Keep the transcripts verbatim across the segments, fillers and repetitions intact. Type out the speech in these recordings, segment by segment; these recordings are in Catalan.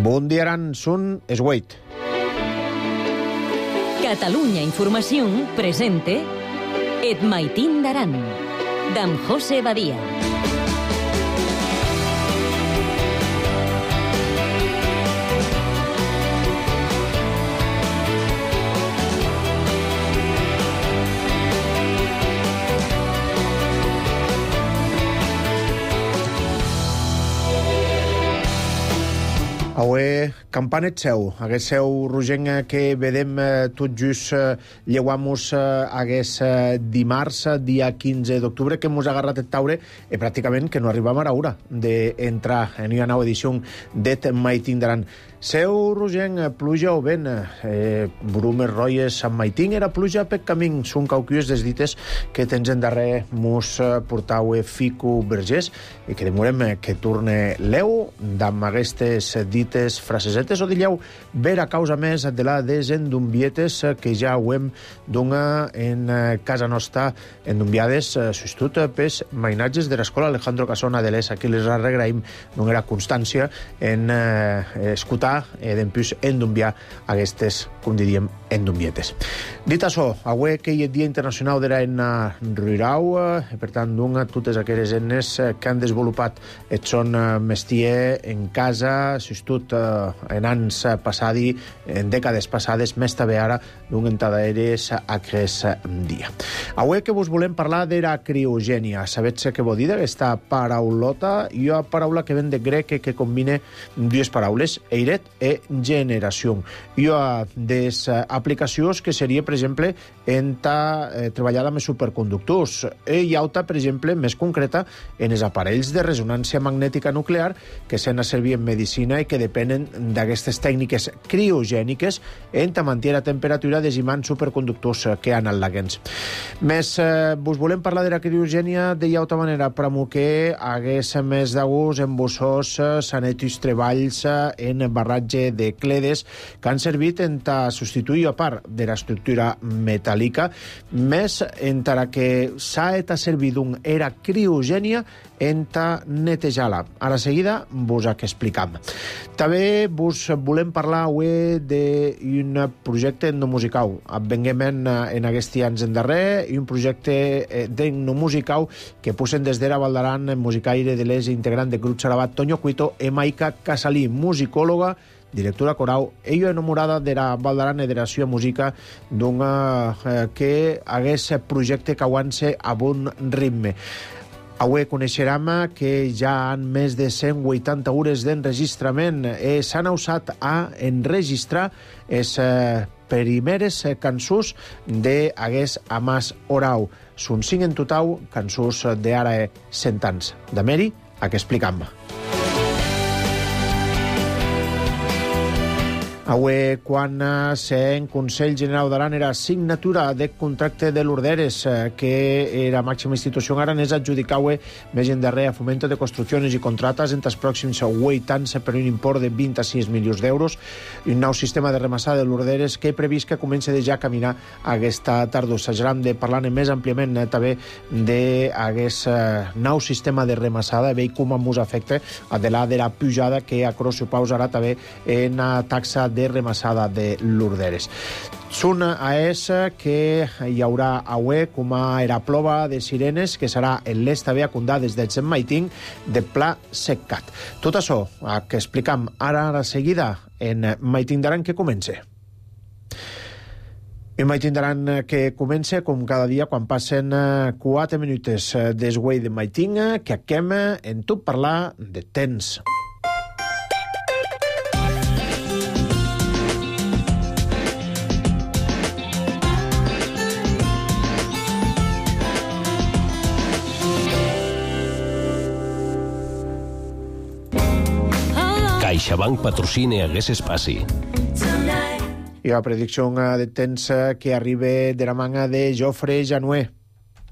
Bon dia, Aran, són es vuit. Catalunya Informació presente Et Maitín d'Aran, d'en José Badia. Avui, campanet seu, aguest seu rogenc que vedem eh, tot just eh, lleuamos eh, aguest eh, dimarts, dia quinze d'octubre, que mos ha agarrat el taure i pràcticament que no arribam a l'hora d'entrar en una nova edició d'Et Maitín d'Aran. Seu rogenc, pluja o vent, eh, brumes roies Sant Maitín, era pluja per camí, són cauquies des dites que tens en darrer mos portau fico vergers i que demorem que torne l'eu d'amb aquestes dites frasesetes o dilleu ver a causa més de la desendumbietes que ja ho hem dona en casa nostra endumbiades, sostut pels mainatges de l'escola Alejandro Casona de l'Es, aquí les arregraïm d'una constància en eh, escutar e d'empús endumbiar aquestes, com diríem, endumbietes. Dit això, avui que hi ha Dia Internacional de l'Eina Rural, i per tant, d'un totes aquelles eines que han desenvolupat et són mestier en casa, sostut en anys passadi, en dècades passades, més també ara, d'un entadaeres aquest dia. Avui que vos volem parlar de la criogènia. Sabets què vol dir d'aquesta paraulota? Hi ha paraula que ven de grec que combina dues paraules, eiret e generació. Hi ha des aplicacions que seria, per exemple, en ta eh, treballada amb superconductors. E hi ha altra, per exemple, més concreta, en els aparells de resonància magnètica nuclear que s'han a servir en medicina i que depenen d'aquestes tècniques criogèniques en ta mantenir la temperatura desimant superconductors que han al laguens. Més, eh, vos volem parlar de la criogènia de altra manera, per que hagués més d'agús en vossos sanetis treballs en barratge de cledes que han servit en ta substituir a part de l'estructura metàl·lica, més encara que s'ha et a servir d'un era criogènia en ta netejar-la. A la seguida vos ha que explicam. També vos volem parlar avui d'un projecte etnomusical. Venguem en, en aquests anys en darrer i un projecte d'etnomusical que posen des d'era Val d'Aran musicaire de l'Es integrant de grup Sarabat Toño Cuito e Maica Casalí, musicòloga, directora coral, ella enamorada de la Val d'Aran i de la seva música d'una eh, que hagués projecte que aguance a bon ritme. Avui coneixerem que ja han més de cent vuitanta hores d'enregistrament i s'han usat a enregistrar les eh, primeres cançons d'Aguest Amàs Orau. Són cinc en total cançons d'ara cent anys. De Meri, a què explicam. Avui, quan en Consell General d'Aran era signatura de contracte de l'Orderes, que era màxima institució aranesa, adjudicava més en darrer a Fomento de Construccions i Contrates entre els pròxims vuit anys per un import de vint-i-sis milions d'euros, un nou sistema de remassada de l'Orderes que he previst que comença de ja a caminar aquesta tardor. S'ajaram de parlar més àmpliament també d'aquest nou sistema de remassada, veig com ens afecta a de la de la pujada que a Crosso pausarà també en la taxa de remassada de l'Orderes. Són a és que hi haurà avui com a era plova de sirenes que serà en l'est també a Condà des del Sant Maitín de Pla Seccat. Tot això que explicam ara a la seguida en Maitín d'Aran que comença. I Maitín d'Aran que comença com cada dia quan passen quatre minuts des guai de Maitín que acquem en tot parlar de temps. CaixaBank patrocina hagués espaci. I la predicció de temps que arriba de la manga de Jofre Januer.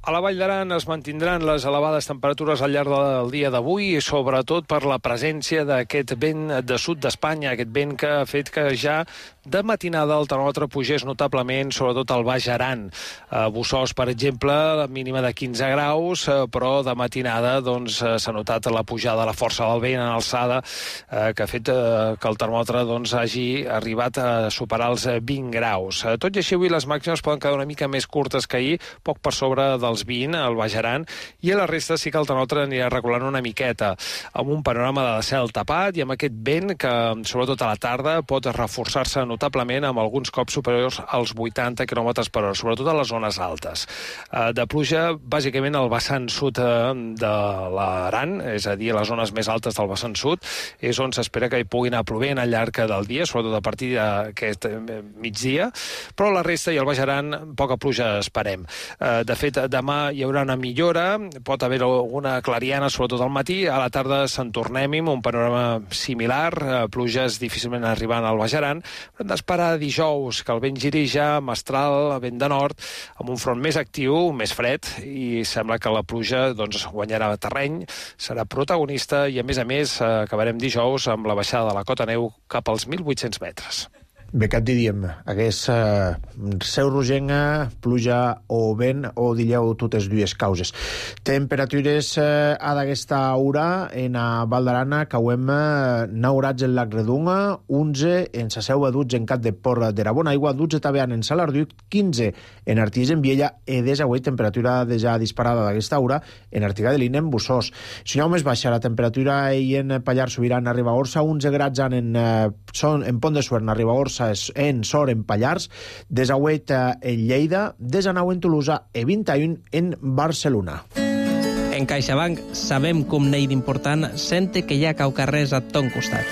A la Vall d'Aran es mantindran les elevades temperatures al llarg del dia d'avui, sobretot per la presència d'aquest vent de sud d'Espanya, aquest vent que ha fet que ja de matinada el termòmetre pugés notablement, sobretot al Baix Aran. A Bossòst, per exemple, la mínima de quinze graus, però de matinada doncs, s'ha notat la pujada, la força del vent en alçada, eh, que ha fet eh, que el termòmetre doncs, hagi arribat a superar els vint graus. Tot i així, avui les màximes poden quedar una mica més curtes que ahir, poc per sobre dels vint al Baix Aran, i a la resta sí que el termòmetre anirà reculant una miqueta, amb un panorama de cel tapat i amb aquest vent que, sobretot a la tarda, pot reforçar-se notablement amb alguns cops superiors als vuitanta quilòmetres per hora, sobretot a les zones altes. De pluja, bàsicament, al vessant sud de l'Aran, és a dir, a les zones més altes del vessant sud, és on s'espera que hi pugui anar plovent al llarg del dia, sobretot a partir d'aquest migdia, però la resta i el Baix Aran, poca pluja esperem. De fet, demà hi haurà una millora, pot haver alguna clariana, sobretot al matí, a la tarda se'n tornem amb un panorama similar, pluges difícilment arribant al Baix Aran, però hem d'esperar dijous que el vent giri ja mestral, vent de nord, amb un front més actiu, més fred, i sembla que la pluja doncs, guanyarà terreny, serà protagonista i, a més a més, acabarem dijous amb la baixada de la cota neu cap als mil vuit-cents metres. Bé, què et diríem? Hagués eh, seu rogenca, pluja o vent, o diríeu totes dues causes. Temperatures eh, a d'aquesta hora en a Val d'Aran, cauem eh, nou grads en Lac Redunga, onze en sa Seu a dotze en Cap de Porra de la Bona Aigua, dotze també en Salarduc, quinze en Artís en Viella, e desavui temperatura ja disparada d'aquesta hora en Artiga de Lina en Bossòst. Si no més baixa la temperatura i en Pallars Sobirà en Ribagorça, onze grads en, eh, son, en Pont de Suert en Ribagorça, en Sor en Pallars, desauet en Lleida, desanau en Tolosa i vint i u en Barcelona. En CaixaBank sabem com n'hi d'important sente que hi ha caucarrers a ton costat.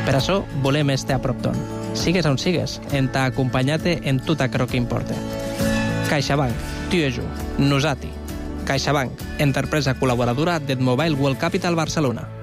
Per això volem estar a prop ton. Sigues on sigues, en t'ha acompanyat en tot aquello que importa. CaixaBank, tu i jo, nosati. CaixaBank, empresa col·laboradora del Mobile World Capital Barcelona.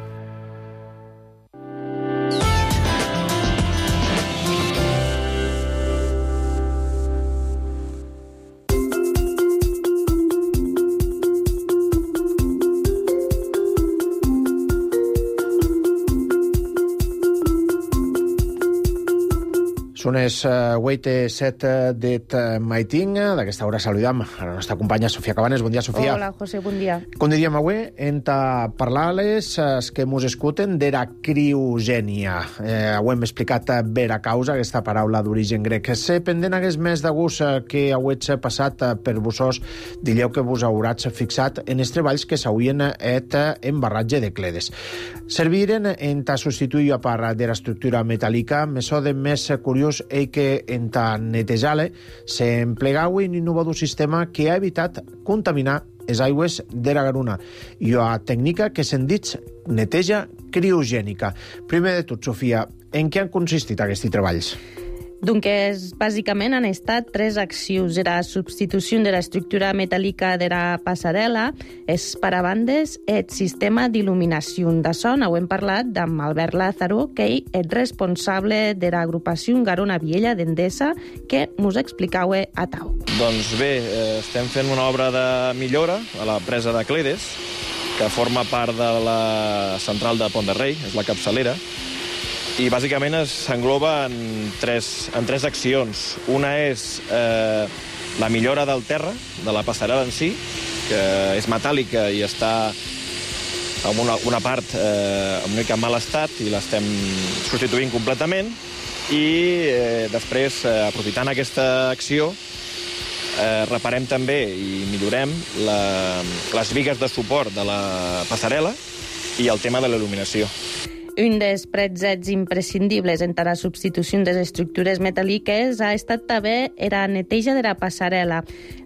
Són les vuit i set d'et maiting. D'aquesta hora saludam a la nostra companya Sofia Cabanes. Bon dia, Sofia. Hola, José, bon dia. Com diríem avui, hem de parlar-les els que mos escuten de la criogènia. Eh, ho hem explicat bé a causa, aquesta paraula d'origen grec. Se pendent hagués més de gust que hauets passat per Bossòst, diríeu que vos hauràs fixat en els treballs que s'haurien et embarratge de cledes. Serviren en ta substituir a part de l'estructura metàl·lica, mesó de més curiós és que en ta netejar-le s'emplegau un innovador sistema que ha evitat contaminar les aigües de la Garona i una tècnica que se'n dit neteja criogènica. Primer de tot, Sofia, en què han consistit aquests treballs? Doncs, bàsicament, han estat tres accions. La substitució de l'estructura metàl·lica de la passarel·la, els parabandes i el sistema d'il·luminació de son. Ho hem parlat amb Albert Lázaro, que és responsable de l'agrupació Garona Viella d'Endesa, que mos explicau a tau. Doncs bé, estem fent una obra de millora a la presa de Cledes, que forma part de la central de Pont de Rei, és la capçalera, i bàsicament s'engloba en tres, en tres accions. Una és eh, la millora del terra, de la passarel·la en si, que és metàl·lica i està en una, una part eh, una mica en mal estat i l'estem substituint completament. I eh, després, eh, aprofitant aquesta acció, eh, reparem també i millorem la, les bigues de suport de la passarel·la i el tema de la il·luminació. Un dels pretzets imprescindibles entre la substitució de les estructures metàl·liques ha estat també la neteja de la passarel·la.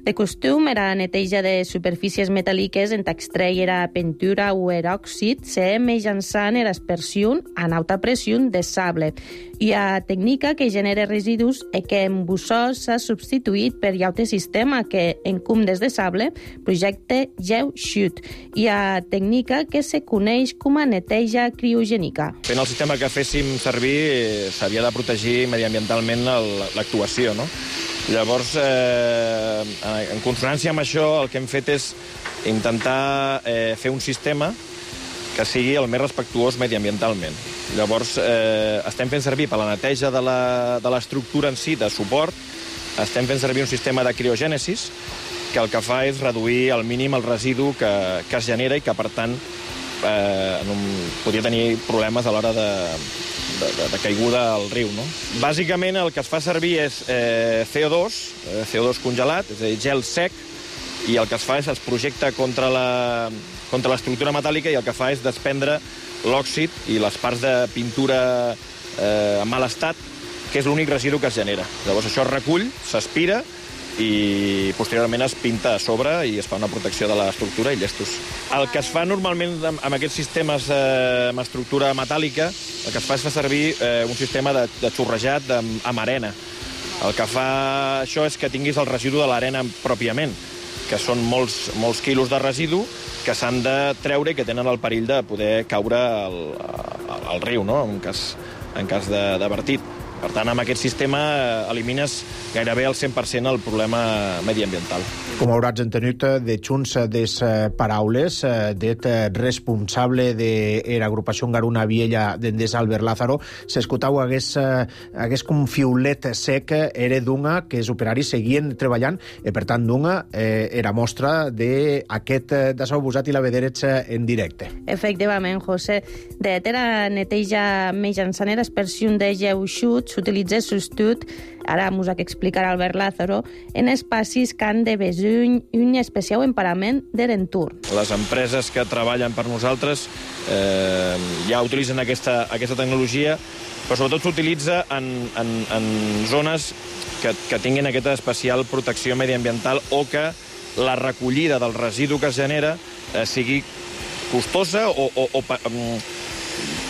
De costum, la neteja de superfícies metàl·liques en extreure la pintura o l'òxid se mitjançant l'aspersió a alta pressió de sable. Hi ha tècnica que genera residus i que en Bossòst s'ha substituït per altre sistema que, en cumdes de sable, projecte GeoShoot. Hi ha tècnica que se coneix com a neteja criogènica. Fent el sistema que féssim servir, s'havia de protegir mediambientalment l'actuació, no? Llavors, eh, en consonància amb això, el que hem fet és intentar eh, fer un sistema que sigui el més respectuós mediambientalment. Llavors, eh, estem fent servir per la neteja de la, de l'estructura en si, de suport, estem fent servir un sistema de criogènesis que el que fa és reduir al mínim el residu que, que es genera i que, per tant, eh, en un, podria tenir problemes a l'hora de, de, de, de caiguda al riu. No? Bàsicament, el que es fa servir és eh, C O dos, eh, C O dos congelat, és a dir, gel sec, i el que es fa és es projecta contra la, contra l'estructura metàl·lica i el que fa és desprendre l'òxid i les parts de pintura eh, en mal estat, que és l'únic residu que es genera. Llavors això es recull, s'aspira i posteriorment es pinta a sobre i es fa una protecció de l'estructura i llestos. El que es fa normalment amb aquests sistemes eh, amb estructura metàl·lica, el que es fa és fer servir eh, un sistema de, de xorrejat amb, amb arena. El que fa això és que tinguis el residu de l'arena pròpiament, que són molts, molts quilos de residu que s'han de treure i que tenen el perill de poder caure al, al, al riu, no? en cas, en cas de, de vertit. Per tant, amb aquest sistema elimines gairebé al cent per cent el problema mediambiental. Com hauràs entenut de junts des paraules det responsable de l'agrupació Garuna Viella d'Endesa, Albert Lázaro, s'escoltau hagués, hagués com fiulet sec era d'una que els operaris seguien treballant i per tant d'una eh, era mostra d'aquest d'això usat i la vederets en directe. Efectivament, José. De era neteja mitjançant l'aspersió de geu xut s'utilitza sostut, ara mos ha explicar Albert Lázaro, en espacis que han de besuny un especial emparament de l'entorn. Les empreses que treballen per nosaltres eh, ja utilitzen aquesta, aquesta tecnologia, però sobretot s'utilitza en, en, en zones que, que tinguin aquesta especial protecció mediambiental o que la recollida del residu que es genera eh, sigui costosa o, o, o um,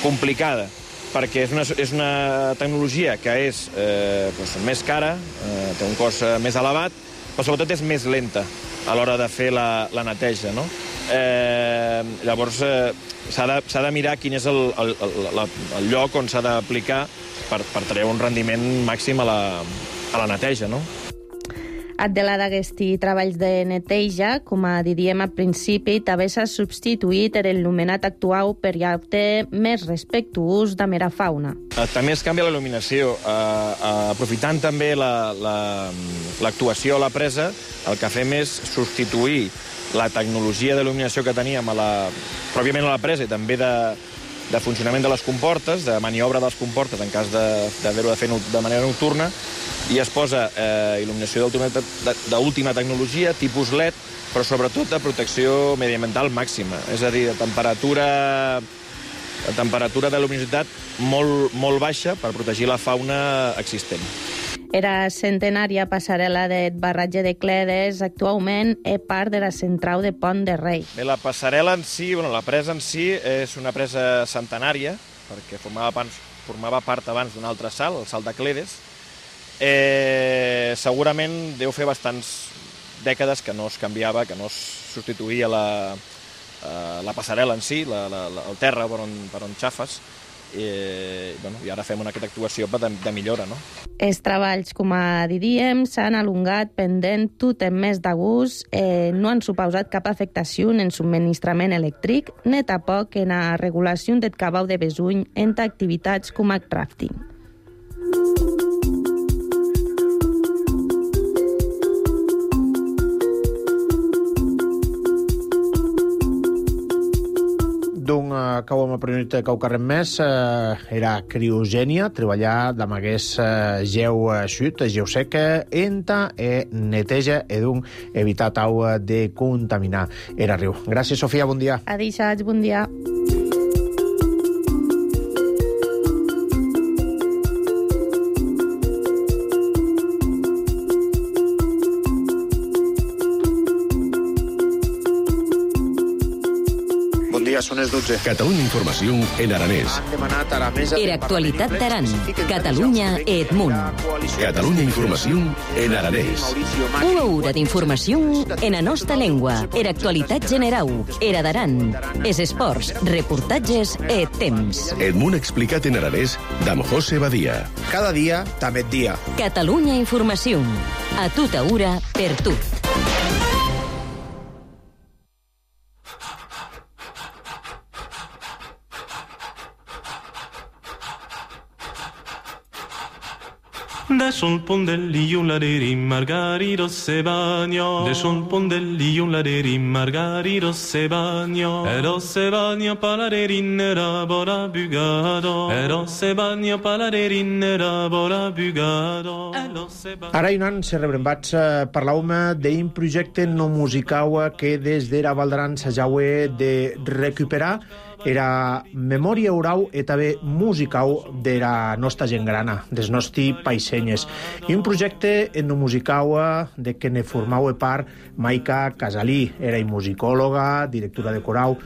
complicada, perquè és una, és una tecnologia que és eh, doncs, més cara, eh, té un cost eh, més elevat, però sobretot és més lenta a l'hora de fer la, la neteja. No? Eh, llavors, eh, s'ha de, s'ha de mirar quin és el, el, el, el lloc on s'ha d'aplicar per, per treure un rendiment màxim a la, a la neteja. No? Adela d'aquesti treballs de neteja, com a diríem al principi, també s'ha substituït el nomenat actual per ja-te més respectuós de mera fauna. També es canvia la il·luminació. Uh, aprofitant també l'actuació la, la, a la presa, el que fem és substituir la tecnologia d'il·luminació que teníem a la, pròpiament a la presa i també de, de funcionament de les comportes, de maniobra de les comportes en cas d'haver-ho de fer de manera nocturna, i es posa eh, il·luminació d'última tecnologia, tipus L E D, però sobretot de protecció mediambiental màxima. És a dir, de temperatura, de temperatura de luminositat molt, molt baixa per protegir la fauna existent. Era centenària passarel·la de barratge de Cledes, actualment és part de la central de Pont de Rei. Bé, la passarel·la en si, bueno, la presa en si, és una presa centenària, perquè formava, abans, formava part abans d'un altre salt, el salt de Cledes. Eh, segurament deu fer bastants dècades que no es canviava, que no es substituïa la, eh, la passarel·la en si, la, la, la, el terra per on, per on xafes, i, bueno, i ara fem una aquesta actuació de, de millora. No? Els treballs, com a diríem, s'han alongat pendent tot en més de gust, eh, no han suposat cap afectació en el subministrament elèctric, ni tampoc en la regulació del cabal de besuny entre activitats com el rafting. D'un uh, cau amb el primer cau carrer més uh, era criogènia, treballar amb aquest uh, geu uh, xut, geu seca, enta e neteja e d'un evitar tau de contaminar era riu. Gràcies, Sofia, bon dia. Adéu, bon dia. Són les dotze. Catalunya Informació en aranès. Han demanat a la mesa... Era actualitat d'Aran. Catalunya et Munt. Catalunya Informació en aranès. Una hora d'informació en la nostra llengua. Era actualitat generau. Era d'Aran. Es esports, reportatges et temps. El Munt explicat en aranès d'en José Badia. Cada dia, també et dia. Catalunya Informació. A tota hora, per tu. Adesso il pondelli un laderi margarito se bagno. Adesso il pondelli un laderi margarito se bagno. Ero se bagno paladeri nera bora bugado. Ero se bagno paladeri nera bora bugado. Ara, Inan, se rebrembats eh, parlàvem d'un projecte no musical que des d'era Val d'Aran s'ajaue de recuperar era memòria oral i també musical de la nostra gent grana, des nostres païsenyes. I un projecte no musical de què ne formava part Maica Casalí. Era musicòloga, directora de coral,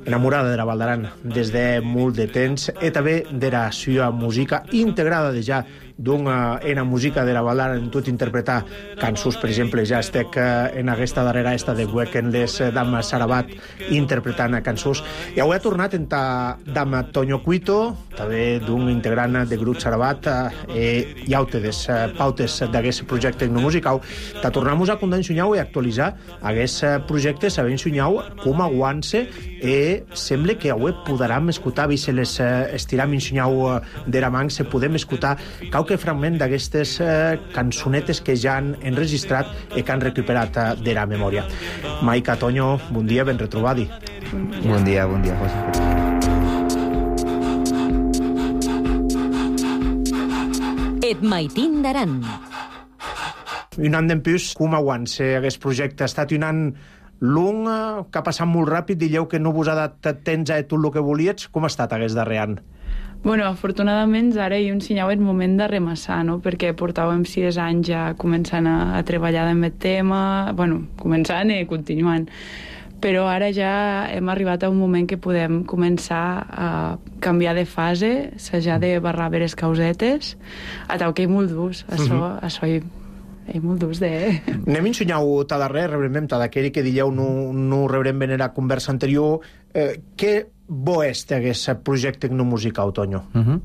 enamorada de la Val d'Aran des de molt de temps i també de la seva música integrada de ja d'una ena música de la Val d'Aran en tot interpretar cançons, per exemple, ja estic en aquesta darrera esta de Weekendless d'Ama Sarabat interpretant cançons. I avui ha tornat en ta d'Ama Toño Cuito, també d'un integrant de grup Sarabat, i hi ha des pautes d'aquest projecte no musical. Ta tornamos a condar ensunyau i actualitzar aquest projecte, sabent ensunyau com aguant-se i sembla que avui podrem escoltar, i se les estiram ensunyau de la man, se podem escoltar qualque fragment d'aquestes eh, cançonetes que ja han enregistrat i que han recuperat eh, de la memòria. Maica, Toño, bon dia, ben retrobadi. Bon dia, bon dia, José. Et maitin d'Aran. Un any d'empús, com aguant-se aquest projecte? Ha estat un any long, que ha passat molt ràpid, dieu que no vos ha dat temps a tot el que volíeu. Com ha estat aquest darrer any? Bueno, afortunadament ara hi ensenyau el moment de remassar, no? Perquè portàvem sis anys ja començant a, a treballar en aquest tema, bueno, començant i continuant. Però ara ja hem arribat a un moment que podem començar a canviar de fase, s'ha de barrar bé les causetes, a tau que hi molt durs, això, uh -huh. això hi hi molt durs de... Anem ensenyau ta darrer, rebrem ta d'aquell que dieu no, no rebrem ben la conversa anterior. Eh, què bo és aquest projecte no musical, Toño? Uh -huh.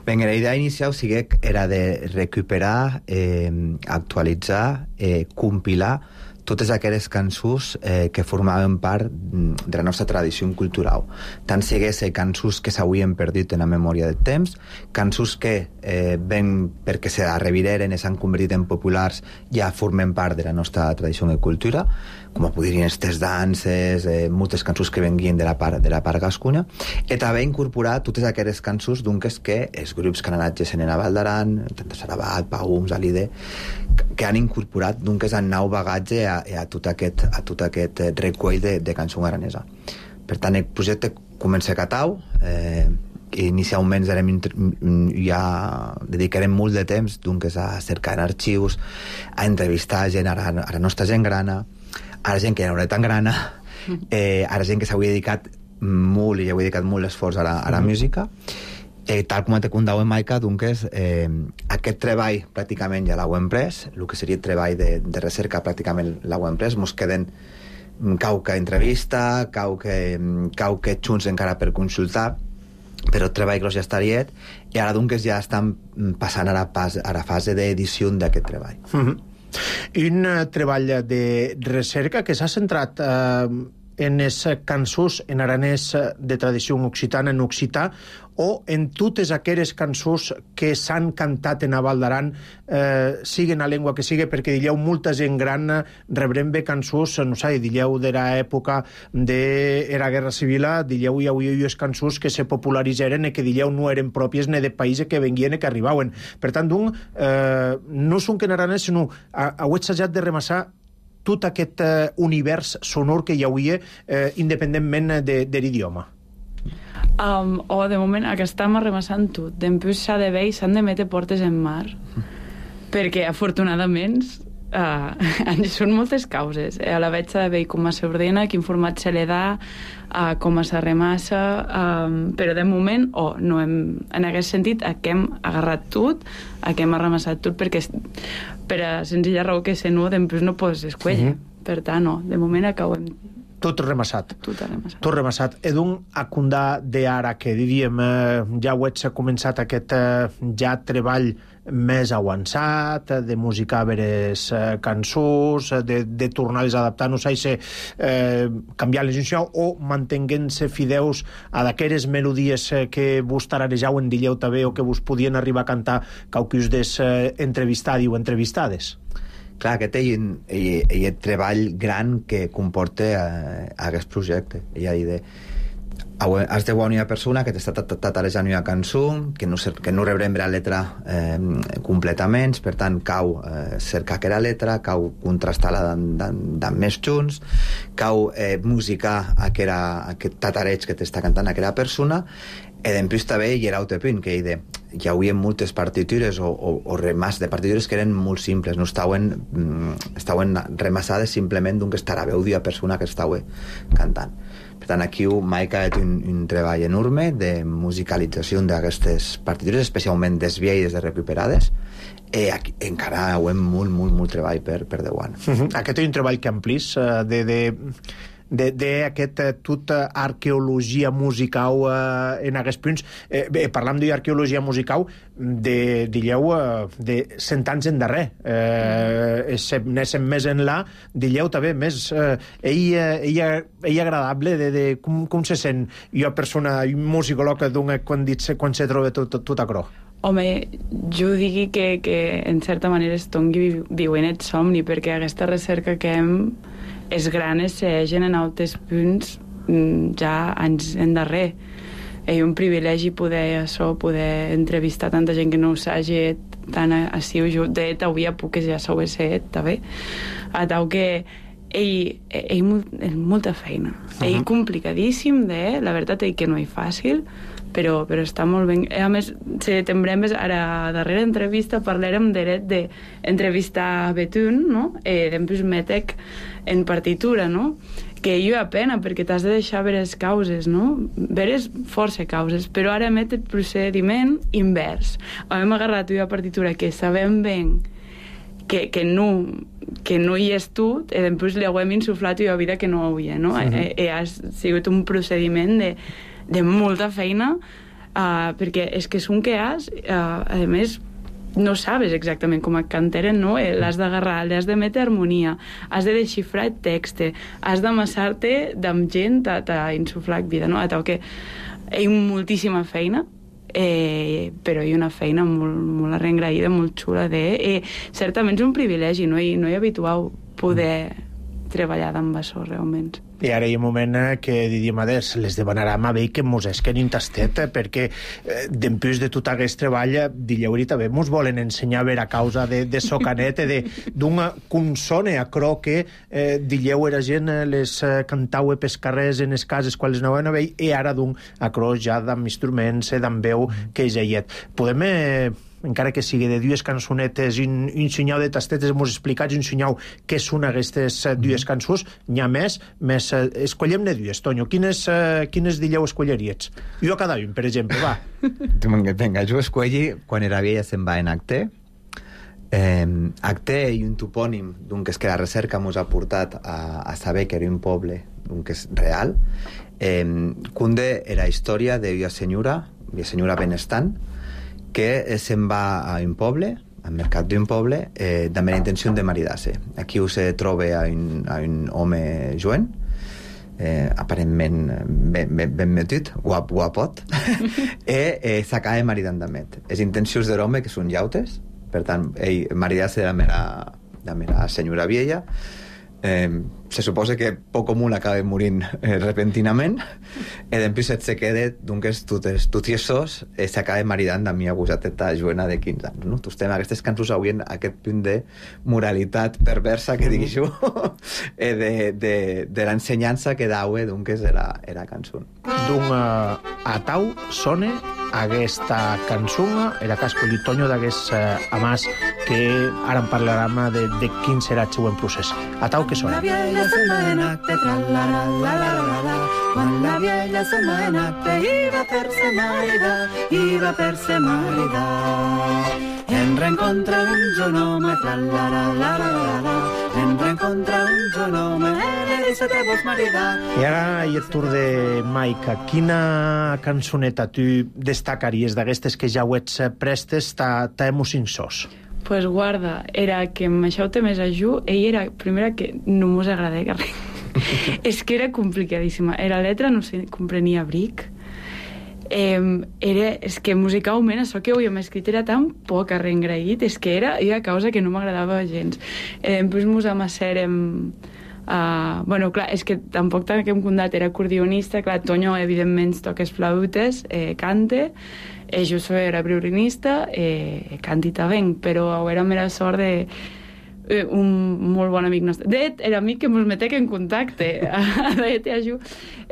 Ben, la idea inicial sí que era de recuperar, eh, actualitzar, eh, compilar totes aquelles cançons eh, que formaven part de la nostra tradició cultural. Tant sigués cançons que s'havien perdut en la memòria del temps, cançons que eh, ben perquè se revireren i s'han convertit en populars ja formen part de la nostra tradició de cultura, com podrien estes danses, eh, moltes cançons que venguien de la part, de la part gascunya, i també incorporar totes aquelles cançons d'unques que els grups que han anat gesent en la Val d'Aran, tant Sarabat, Paums, Alide, que han incorporat d'unques en nou bagatge a, a tot aquest, a tot aquest recull de, de cançó aranesa. Per tant, el projecte comença a Catau, eh, inicialment ja dedicarem molt de temps d'unques a cercar arxius, a entrevistar gent, a la, a la nostra gent grana, a la gent que ja no era tan grana, eh, a la gent que s'havia dedicat molt i ja havia dedicat molt l'esforç a la, a la música. Eh, tal com te contava Maica, doncs, eh, aquest treball pràcticament ja l'heu emprès, el que seria el treball de, de recerca pràcticament l'heu emprès, mos queden cauca entrevista, cauque, cauque junts encara per consultar, però el treball gros ja estaria, i ara doncs ja estan passant a la, pas, a la fase d'edició d'aquest treball. Mm-hmm. Un uh, treball de recerca que s'ha centrat uh, en les cançons en aranès de tradició occitana, en occità, o en totes aquelles cançons que s'han cantat en la Val d'Aran, eh, siguen a llengua que sigui, perquè dieu molta gent gran rebrem bé cançons, no sé, dieu de l'època de la Guerra Civil, dieu hi havia les cançons que se popularitzeren i que dieu no eren pròpies ni de països que venguien i que arribaven. Per tant, doncs, eh, no són que en aranès, sinó heu assajat de remassar tot aquest eh, univers sonor que hi havia eh, independentment de, de l'idioma. Um, o de moment aquest estem arremassant tot. D'empús s'ha de veure i s'han de metre portes en mar. Perquè, afortunadament, Uh, són moltes causes. Eh, la veig de bé com s'ordena, quin format se li da, uh, com se remassa, um, però de moment, oh, no hem, en aquest sentit, a què hem agarrat tot, a què hem arramassat tot, perquè per a senzilla raó que se no, després no pots escollir. Mm-hmm. Per tant, no, de moment acabem tot remassat. Tot remassat. Tot remassat. Edun acundar de ara que diríem, eh, ja ho ets començat aquest eh, ja treball més avançat, de musicar veres eh, cançons, de, de tornar-les a adaptar, no sé si eh, canviar-les o mantenint-se fideus a d'aqueres melodies eh, que vos tararejau en dilleu també o que vos podien arribar a cantar cauquis des eh, entrevistadi o entrevistades. Clar, aquest és el treball gran que comporta eh, aquest projecte. Hi ha de... Has de una persona que t'està tatarejant una cançó, que no, que no rebrem la letra eh, completament, per tant, cau eh, cercar aquella letra, cau contrastar-la d'en més junts, cau eh, musicar aquella, aquest tatareig que t'està cantant aquella persona, i després també hi era altre punt, que hi, de, hi havia moltes partitures o, o, o remàs de partitures que eren molt simples, no estaven, estaven remassades simplement d'un que estarà veu d'una persona que estava cantant. Per tant, aquí m'ha quedat un, un treball enorme de musicalització d'aquestes partitures, especialment desviades de recuperades, i aquí, encara ho hem molt, molt, molt treball per, per Déu-an. Uh-huh. Aquest és un treball que amplis de... de... d'aquest eh, tot eh, arqueologia musical eh, en aquests punts. Eh, bé, parlam d'arqueologia musical de, dilleu, eh, de cent anys en darrer. Eh, Néssim més enlà, dilleu també més eh, ell, ell, ell agradable de, de com, com se sent una persona, un musicòleg quan, dit, quan se troba tot, tot, tot a cro. Home, jo digui que, que en certa manera estongi viuen el somni, perquè aquesta recerca que hem és gran, es segueixen en altres punts ja anys endarrer. És un privilegi poder això, poder entrevistar tanta gent que no ho s'hagi tant així. Jo, de fet, avui a poques ja s'ho he set, també. A tal que ell, ell, ell molta feina. Uh-huh. Ell complicadíssim, de, la veritat és que no és fàcil, però, però està molt ben... A més, si tembrem ara a la darrera entrevista parlarem dret d'entrevistar Betún, no? Eh, d'empús Metec en partitura, no? Que hi ha pena, perquè t'has de deixar veres causes, no? Veres força causes, però ara emet el procediment invers. Hem agarrat una partitura que sabem ben que, que, no, que no hi és tot, i després li hem insuflat una vida que no hi havia, no? Uh-huh. I, i ha sigut un procediment de, de molta feina, uh, perquè és que és un que has, uh, a més, no sabes exactament com et canteren, no? L'has d'agarrar, l'has de metre harmonia, has de desxifrar el text, has d'amassar-te amb gent a, a insuflar vida, no? A tal que hi ha moltíssima feina, eh, però hi ha una feina molt, molt arrengraïda, molt xula de... Eh, certament és un privilegi, no hi, no hi habitual poder treballar amb això, realment. I ara hi ha un moment que diríem, adés, les demanarem a bé que mos esquen un tastet, perquè eh, d'empús de tot aquest treball, dilleu també mos volen ensenyar a veure a causa de, de socanet, d'una consone a cro que eh, dilleu era gent, les eh, cantau pels carrers en les cases quan les anaven a veure, i ara d'un a cro ja d'amb instruments, d'amb veu, que és aiet. Podem... Eh, encara que sigui de dues cançonetes, un, un senyal de tastetes, mos explicats un senyal què són aquestes uh, dues cançons, n'hi ha més, més uh, escollem-ne dues, Tonyo. Quines, uh, quines dilleu escolleries? Jo a cada un, per exemple, va. Vinga, jo escolli quan era vella se'n va en acte. Eh, acte i un topònim d'un que és que la recerca mos ha portat a, a saber que era un poble, d'un que és real. Eh, Cunde era història d'una senyora, una senyora benestant, que se'n va a un poble, al mercat d'un poble, eh, amb la intenció de maridar-se. Aquí se troba a un, a un home joven, eh, aparentment ben, ben, ben metit, guap, guapot, i eh, s'acaba maridant amb ell. Les intencions de l'home, que són llautes, per tant, ell maridar-se de la mera, de la mera senyora vieja. Eh, se suposa que poc comú acaba morint eh, repentinament, i després se queda d'un que és tutiesos, eh, s'acaba maridant amb mi agusateta joana de quinze anys, no? Tu estem aquestes cançons avui en aquest punt de moralitat perversa que digui jo, eh, de, de, de l'ensenyança que daue d'un que és era, era cançó. D'un uh, atau sone aquesta cançó, era que ha escollit Tonyo d'hagués eh, amàs, que ara en parlarem de, de quin serà el següent procés. A tau que sona. La vieja setmana te tra la la la la la la, quan la vieja setmana te iba per se marida, iba per se marida. En reencontra un genome, tra la la la la la la, en reencontra un genome, e li se te vols maridar. I ara hi ha el tour de Maica. Quina cançoneta tu destacaries d'aquestes que ja ho ets prestes, t'ha emocionós? Pues guarda, era que m'aixau té més a Ju, ell era, primera, que no mos agrada que res. És que era complicadíssima. Era letra, no sé, comprenia bric. Eh, era, és que musicalment això que havíem escrit era tan poc arrengraït, és que era, era causa que no m'agradava gens. Eh, després mos amassèrem Uh, bueno, clar, és que tampoc t'hem contat, era acordionista, clar, Tonyo evidentment toques flautes, eh, cante, eh, jo soy era violinista, eh, canti també, però érem la sort de eh, un molt bon amic nostre. De fet, era amic que ens metec en contacte, de t'aju,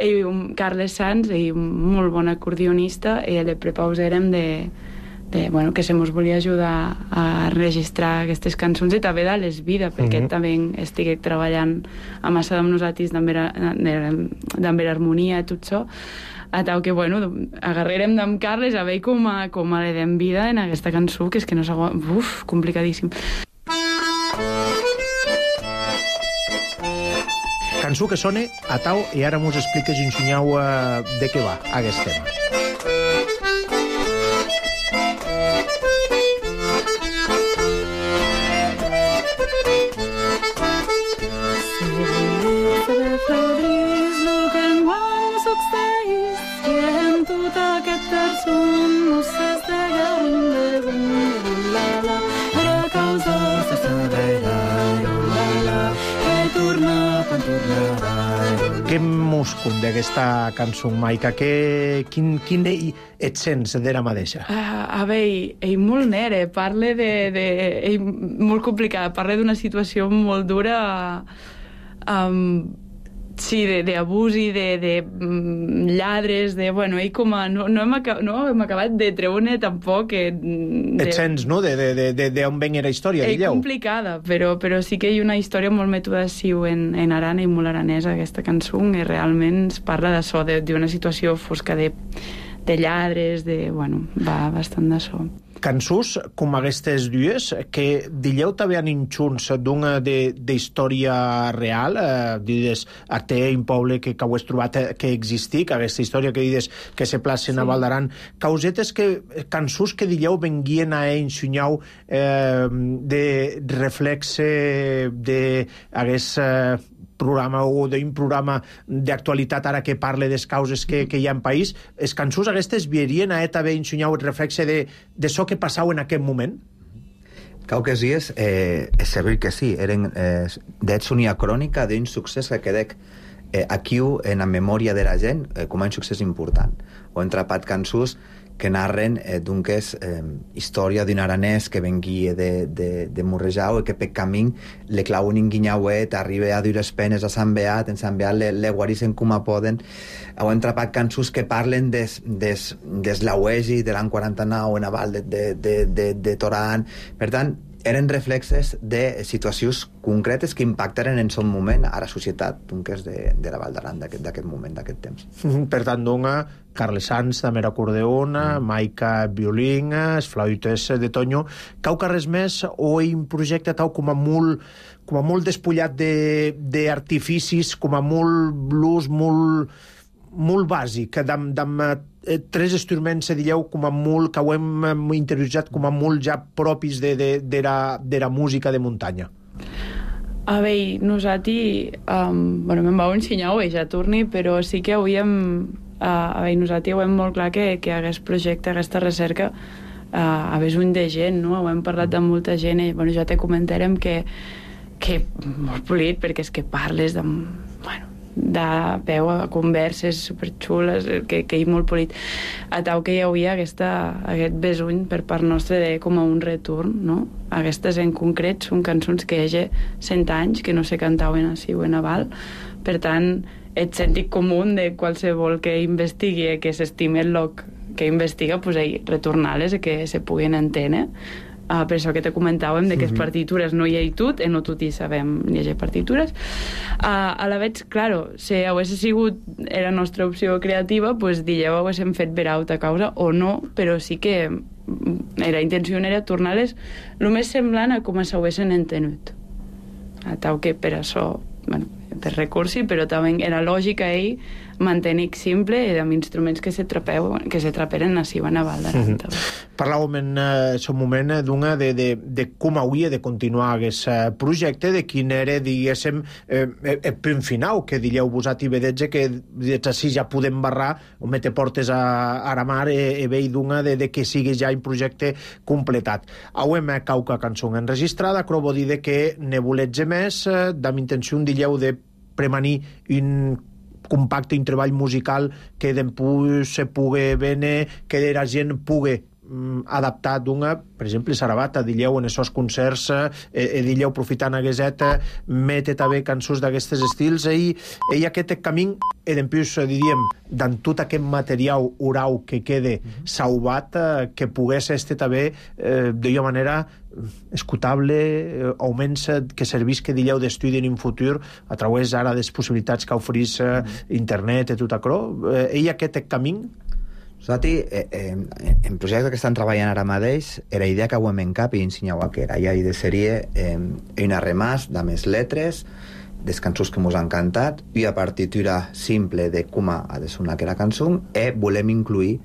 ell, un Carles Sanz, ell, un molt bon acordionista, i le prepausèrem de De, bueno, que se mos volia ajudar a registrar aquestes cançons i també de les vides, perquè mm-hmm. també estic treballant a massa amb nosaltres d'ambera harmonia i tot això, a tal que, bueno, agarrarem d'en Carles a veure com a, com a le dem vida en aquesta cançó, que és que no s'aguanta, uf, complicadíssim. Cançó que sona a tau i ara mos expliques i ensenyeu uh, de què va aquest tema. Què mos conta d'aquesta cançó, Maica? Que, quin, quin et sents d'era mateixa? Uh, a veure, ell molt nere, parla de... de ell molt complicada, parla d'una situació molt dura, um, sí, d'abús i de, de um, lladres, de... Bueno, ell com a... No, no, hem, acabat, no hem acabat de treure tampoc... Que, de, et sents, no?, d'on ven la història, digueu. És complicada, però, però sí que hi ha una història molt metuda siu en, en arana i molt aranesa, aquesta cançó, i realment es parla d'això, d'una situació fosca de, de lladres, de... Bueno, va bastant d'això. Cançons com aquestes dues, que dilleu també han inxuns d'una d'història real, eh, dides, té un poble que, que ho has trobat que existi, que aquesta història que dides que se placen sí. A Val d'Aran, causetes que, cançons que dilleu venguien a ensenyau eh, de reflexe de hagués eh, programa o d'un programa d'actualitat ara que parle des causes que, que hi ha en país, els cançons aquestes vierien a també ensenyau el reflexe de, de so que passau en aquest moment? Cau que sí, és, eh, és servir que sí. Eren, eh, d'ets unia crònica d'un succés que quedec eh, aquí en la memòria de la gent eh, com a un succés important. O hem trapat cançons que narren eh, d'un que és eh, història d'un aranès que venguia de, de, de Morrejau i que per camí le clauen un guinyauet, arriba a dures penes a Sant Beat, en Sant Beat le, le guarissen com a poden. Heu entrapat cançons que parlen des, des, des l'auegi de l'any quaranta-nou en aval de, de, de, de, de Toran. Per tant, eren reflexes de situacions concretes que impactaren en son moment a la societat, d'un que és de, de la Val d'Aran d'aquest moment, d'aquest temps. Per tant, dona Carles Sanz, també acordeona, mm. Maica, violín, els flautes de Tonyo. Cau que res més o un projecte tau com a molt, com a molt despullat d'artificis, com a molt blues, molt, molt bàsic, d'am, d'am, eh, tres instruments, se dieu, com a molt, que ho hem interioritzat com a molt ja propis de, de, de, la, de la música de muntanya. A veure, nosaltres, um, bueno, me'n vau ensenyar avui, ja torni, però sí que havíem, uh, a veure, nosaltres ho hem molt clar que, que aquest projecte, aquesta recerca, uh, hagués un de gent, no? Ho hem parlat amb molta gent i, bueno, ja te comentarem que, que molt polit, perquè és que parles de, bueno, de peu a converses superxules, que, que hi molt polit. A tau que hi havia aquesta, aquest besuny per part nostra de com a un retorn, no? Aquestes en concret són cançons que hi ha cent anys que no se cantaven així o en aval. Per tant, el sentit comú de qualsevol que investigui, que s'estimi el lloc que investiga, pues, ahí, retornar-les i que se puguin entendre. Uh, per això que te comentàvem de que les Mhm. partitures no hi ha tot, eh, no tot hi sabem llegir partitures. Uh, a la veig, claro, si hagués sigut la nostra opció creativa, pues dieu haguéssim fet per alta causa o no, però sí que la intenció era tornar-les el més semblant a com s'haguessin entenut. A tal que per això, bueno, per recursi, però també era lògica ell mantenir simple i amb instruments que se trapeu, que se traperen així a Naval d'Aran. Mm -hmm. Parlàvem en uh, un moment d'una de, de, de com hauria de continuar aquest uh, projecte, de quin era, diguéssim, eh, el punt final, que diríeu vosaltres i vedetge que des així ja podem barrar o metre portes a Aramar i, i veig d'una de, de que sigui ja un projecte completat. Hauem cauca cançó enregistrada, però vol dir que ne voletge més, eh, amb intenció, diríeu, de premanir un compacte, un treball musical que després se pugui veure, que la gent pugui mm, adaptar d'una, per exemple, Sarabata, diríeu, en aquests concerts, eh, diríeu, aprofitant aquesta, mete també cançons d'aquests estils, i, i aquest camí, i després, diríem, d'en tot aquest material oral que quede sauvat, eh, que pogués este també, eh, d'una manera escutable, eh, augments que servís, que diríeu, d'estudi en un futur a través ara de les possibilitats que oferís eh, internet i tot això. Eh, i aquest camí? Nosaltres, eh, eh, en projectes que estan treballant ara mateix, era idea que hauem en cap i ensenyau que era ja de sèrie eh, una remàs de més lletres, des cançons que mos han cantat, i a partitura simple de com ha de sonar aquella cançó, i volem incluir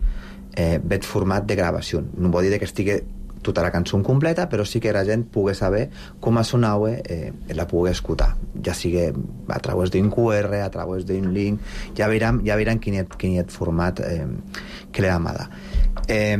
eh, bet format de gravació. No vol dir que estigui tota la cançó completa, però sí que la gent pugui saber com ha sonat, eh, la pugui escoltar, ja sigui a través d'un Q R, a través d'un link, ja veuran, ja veuran quin, quin és format eh, que l'ha amada. Eh,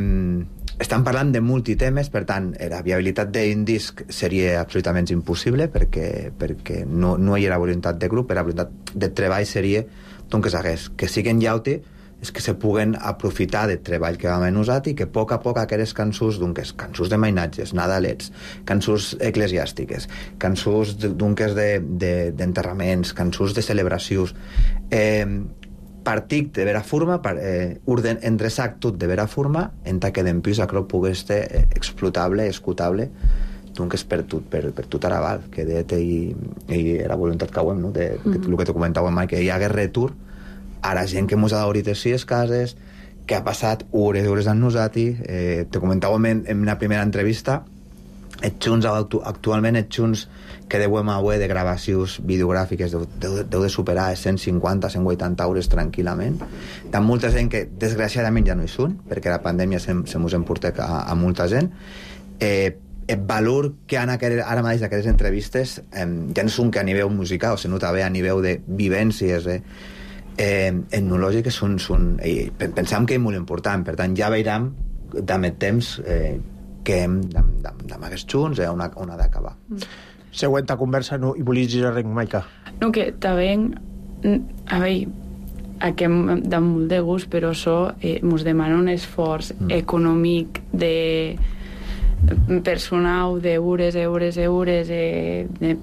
estan parlant de multitemes, per tant, la viabilitat d'un disc seria absolutament impossible, perquè, perquè no, no hi ha la voluntat de grup, però la voluntat de treball seria doncs, que s'hagués, que siguen llaute, és que se puguen aprofitar del treball que vam usat i que a poc a poc aquelles cançons, doncs, cançons de mainatges, nadalets, cançons eclesiàstiques, cançons doncs, d'enterraments, de, cançons de celebracions, eh, partic de vera forma, per, eh, orden, endreçac tot de vera forma, en ta que d'empís això pugui ser eh, explotable, escutable, doncs per tot, per, per tot Araval, que de, i, i la voluntat que ho hem, no? de, de, el que te comentàvem mai, que hi hagués retur a la gent que mos ha d'obrir així les cases, que ha passat hores i hores amb nosaltres. Eh, te comentàvem en, en una primera entrevista, els junts, actualment els junts que deuem avui de gravacions videogràfiques deu, deu, deu de superar cent cinquanta a cent vuitanta hores tranquil·lament. Hi ha molta gent que desgraciadament ja no hi són, perquè la pandèmia se, se mos emporta a, a molta gent. Eh, el valor que han aquel, ara mateix d'aquestes entrevistes eh, ja no són que a nivell musical, o se nota bé a nivell de vivències, eh, Eh, etnològiques són, són eh, pensam que és molt important, per tant ja veurem amb el temps eh, que hem amb aquests junts eh, on, on ha d'acabar. Mm. Següent conversa, no, i volies dir res, Maica? No, que també a veure, aquí hem de molt de gust, però això eh, ens demana un esforç mm. econòmic de personal d'eures, eures, eures eh, de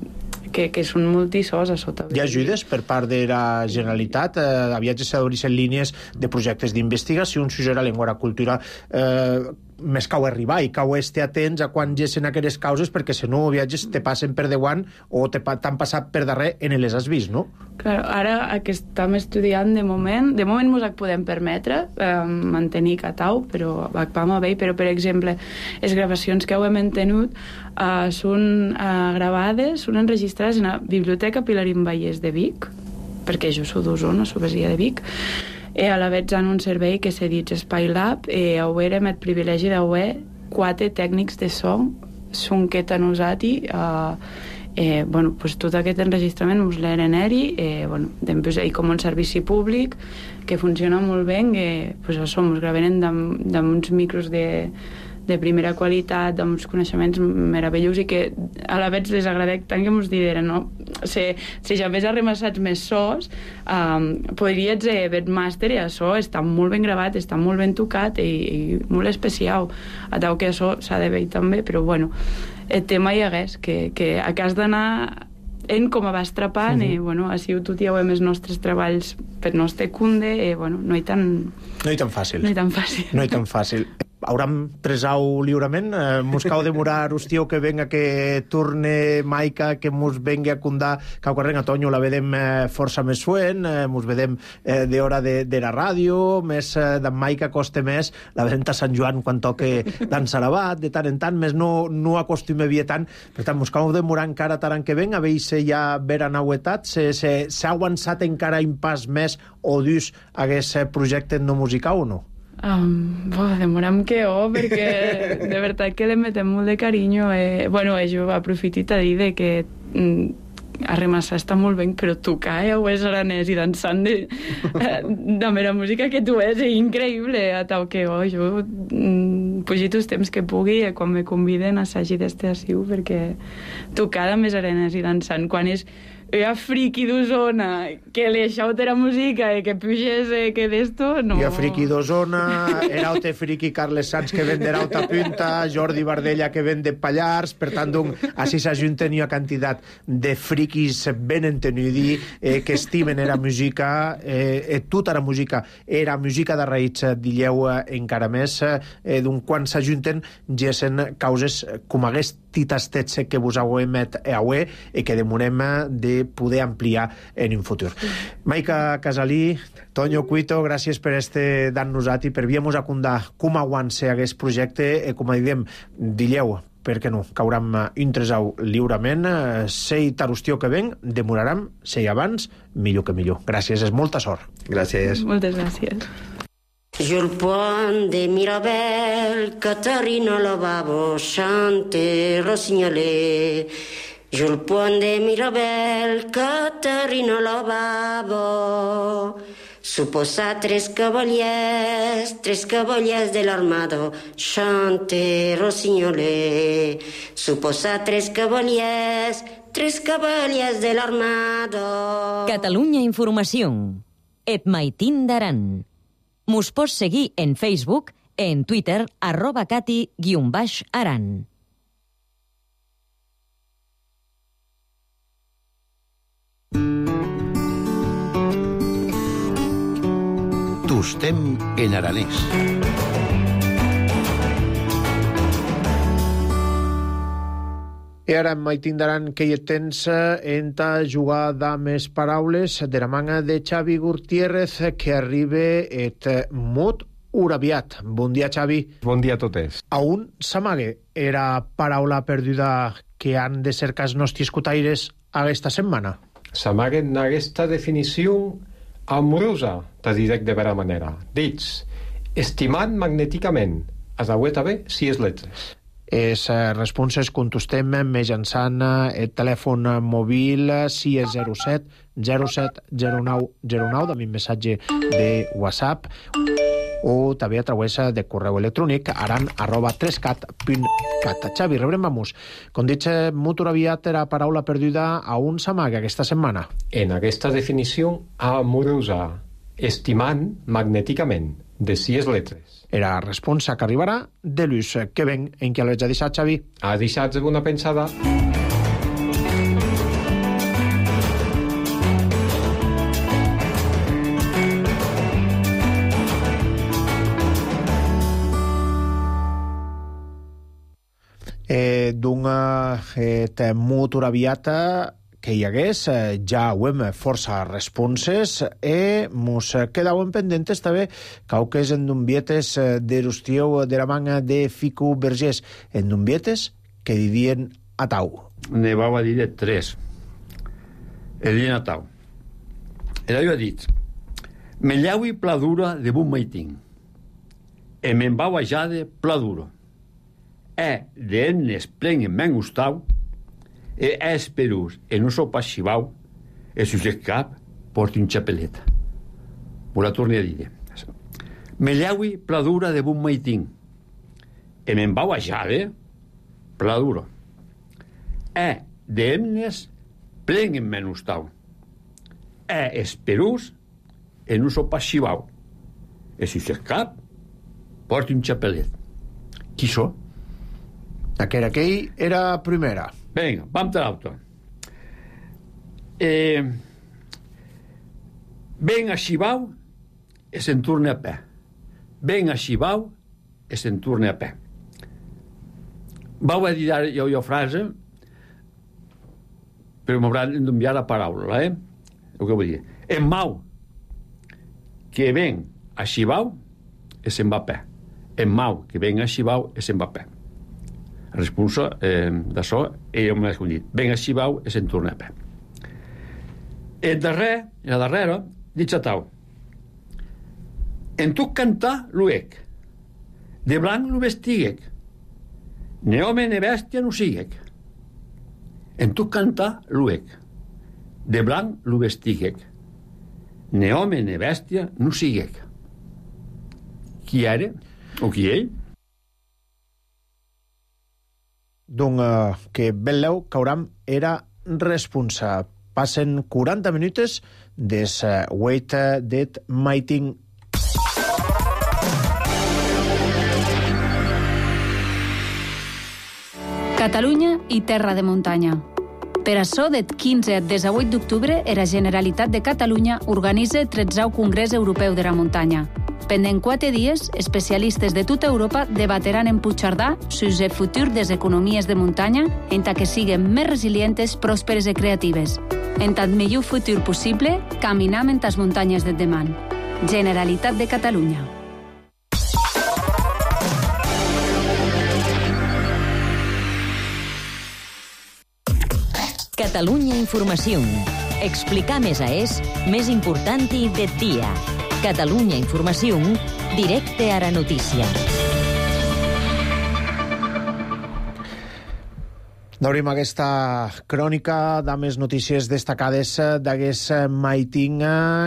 que, que són multisós a sota. Hi ha ajudes per part de la Generalitat? Eh, aviat se s'obreixen línies de projectes d'investigació, un sujet a llengua i la cultura eh, més cau arribar i cau estar atents a quan gessen aquelles causes, perquè si no viatges te passen per davant o t'han passat per darrer en les has vist, no? Claro, ara que estem estudiant de moment, de moment ens podem permetre eh, mantenir catau, però vam a bé, però per exemple les gravacions que hem tenut eh, són eh, gravades, són enregistrades en la Biblioteca Pilarín Vallès de Vic, perquè jo soc d'Osona, soc vesia de Vic, i a la vegada en un servei que s'ha dit Espai Lab, i haurem el privilegi d'haver quatre tècnics de so, són que t'han usat i eh, eh, bueno, pues tot aquest enregistrament us l'eren eri, eh, bueno, després hi com un servici públic que funciona molt bé, que pues això, ens gravenen amb uns micros de de primera qualitat, amb uns coneixements meravellosos i que a la vegada les agradec tant que ens dideren, no? Si, si ja hagués arremassats més sos, um, podries eh, ver màster i això està molt ben gravat, està molt ben tocat i, i molt especial. A tal que això s'ha de veure també, però bueno, el tema hi hagués, que, que a cas d'anar en com va estrapant, uh-huh. eh, bueno, així ho tudiauem els nostres treballs per nostre cunde, eh, bueno, no hi tan... No hi tan fàcil. No hi tan fàcil. No hi tan fàcil. Hauram presau lliurament, eh, mos cau demorar hòstia que venga que torne Maica, que mos venga a condar cau carreng a Toño, la vedem eh, força més suent, eh, mos vedem eh, de hora de, de la ràdio, més eh, d'en Maica costa més, la vedem a Sant Joan quan toque d'en Sarabat, de tant en tant, més no, no acostume bé tant, per tant, mos cau demorar encara tant que ven, a veure si ja vera nauetat, s'ha avançat encara un pas més o dus aquest projecte no musical o no? Um, bo, demoram que oh, perquè de veritat que le metem molt de carinyo. Eh, bueno, eh, jo aprofitit a dir de que mm, a remassar està molt bé, però tocar eh, ho és aranès i dansant de, de mera música que tu és, és increïble. A tal que oh, jo mm, pugit els temps que pugui eh, quan me conviden assagi d'este assiu, perquè tocar de més aranès i dansant, quan és a friki d'Osona, que li aixauta la música i que puges eh, que d'esto, no... I a friki d'Osona, era ote friki Carles Sanz que ven de l'Auta Punta, Jordi Bardella que ven de Pallars, per tant, donc, així s'ajunten una quantitat de frikis ben entenudi, eh, que estimen era música, eh, eh, tota la música era música de raïts, dilleu eh, encara més, eh, donc, quan s'ajunten, gessen causes com hagués titastets que vos auemet e aué i que demonem de poder ampliar en un futur. Maica Casalí, Toño Cuito, gràcies per este dan-nos-at i per viemos a condar com aguance aquest projecte i com a diem, dilleu, per què no, cauram un tresau lliurement, sei tarustió que ven, demoraram, sei abans, millor que millor. Gràcies, és molta sort. Gràcies. Moltes gràcies. Sul pont de Mirabel, Caterina Lavabo, chante Rossignolet. Sul pont de Mirabel, Caterina Lavabo. Suposa tres cavaliers, tres cavaliers de l'armado, chante Rossignolet. Suposa tres cavaliers, tres cavaliers de l'armado. Catalunya Informació. Et maitín d'Aran. Mos pots seguir en Facebook, en Twitter, arroba cati guion baix aran. Tostem en aranès. I ara mai tindran que hi tens enta jugar de més paraules de la manga de Xavi Gutiérrez que arriba et molt uraviat. Bon dia, Xavi. Bon dia a totes. A un s'amague era paraula perduda que han de cercar els nostres escutaires aquesta setmana? S'amaguen aquesta definició amorosa, te direc de vera manera. Dits, estimant magnèticament, has d'auet haver sis letres. Les responses contestem mitjançant el telèfon mòbil sis zero set zero set zero nou zero nou, de mi missatge de WhatsApp, o també a través de correu electrònic aran arroba trescat punt cat. Xavi, rebrem-vamos. Com dic, molt aviat era paraula perduda a un s'amaga aquesta setmana. En aquesta definició amorosa, estimant magnèticament, de sis letres. Era responsa que arribarà de l'ús que ven en què l'haig deixat, Xavi. Ha deixat una pensada. Eh, D'una eh, molt aviata que hi hagués, eh, ja ho hem força responses e mos quedaven pendentes també cauques endunvietes d'erustieu de la manga de Fico Vergés, endunvietes que didien a tau. Ne vau a dir de tres. E didien a tau. Era jo ha dit me llaui pla dura de bun maitín e me'n vau a jade pla duro e de ennes plen en men gustau e esperus en un sopa xivau e sus cap porti un xapeleta. Vos la torni a dir. Me llaui pla dura de bun maitín e me'n vau a jade pla duro e de ennes plen en men gustau e esperus en un sopa xivau e sus cap porti un xapelet. Qui so? Aquell aquell era primera. Vinga, vam te l'auto. eh, ven a Xibau e se'n torna a pè. Ven a Xibau e se'n torna a pè. Vau a dir jo jo frase, però m'hauran d'enviar la paraula, eh? El que vull dir. En mau que ven a Xibau e se'n va a pè. En mau que ven a Xibau e se'n va a pè. La responsa eh, d'això ella m'ha escollit. Ven a Xibau e se'n torna a pè. El darrer, la darrera, dic a tau. En tu cantar l'uec, de blanc lo vestiguec, ne home ne bèstia no siguec. En tu cantar l'uec, de blanc lo vestiguec, ne home ne bèstia no siguec. Qui era? O qui ell? Donc, uh, que Belleu Cauram era responsable. Passen quaranta minutes des uh, Wait uh, That Mighting. Catalunya i terra de muntanya. Per açò, del quinze al disset d'octubre, la Generalitat de Catalunya organitza el tretzè Congrés Europeu de la Muntanya. Pendent quatre dies, especialistes de tota Europa debateran en Puigcerdà sobre el futur de les economies de muntanya en tant que siguin més resilientes, pròsperes i creatives. En tant millor futur possible, caminam en les muntanyes del demà. Generalitat de Catalunya. Catalunya Informació. Explicar més a és més important i del dia. Catalunya Informació, directe a la notícia. Obrim aquesta crònica de més notícies destacades d'aguest maiting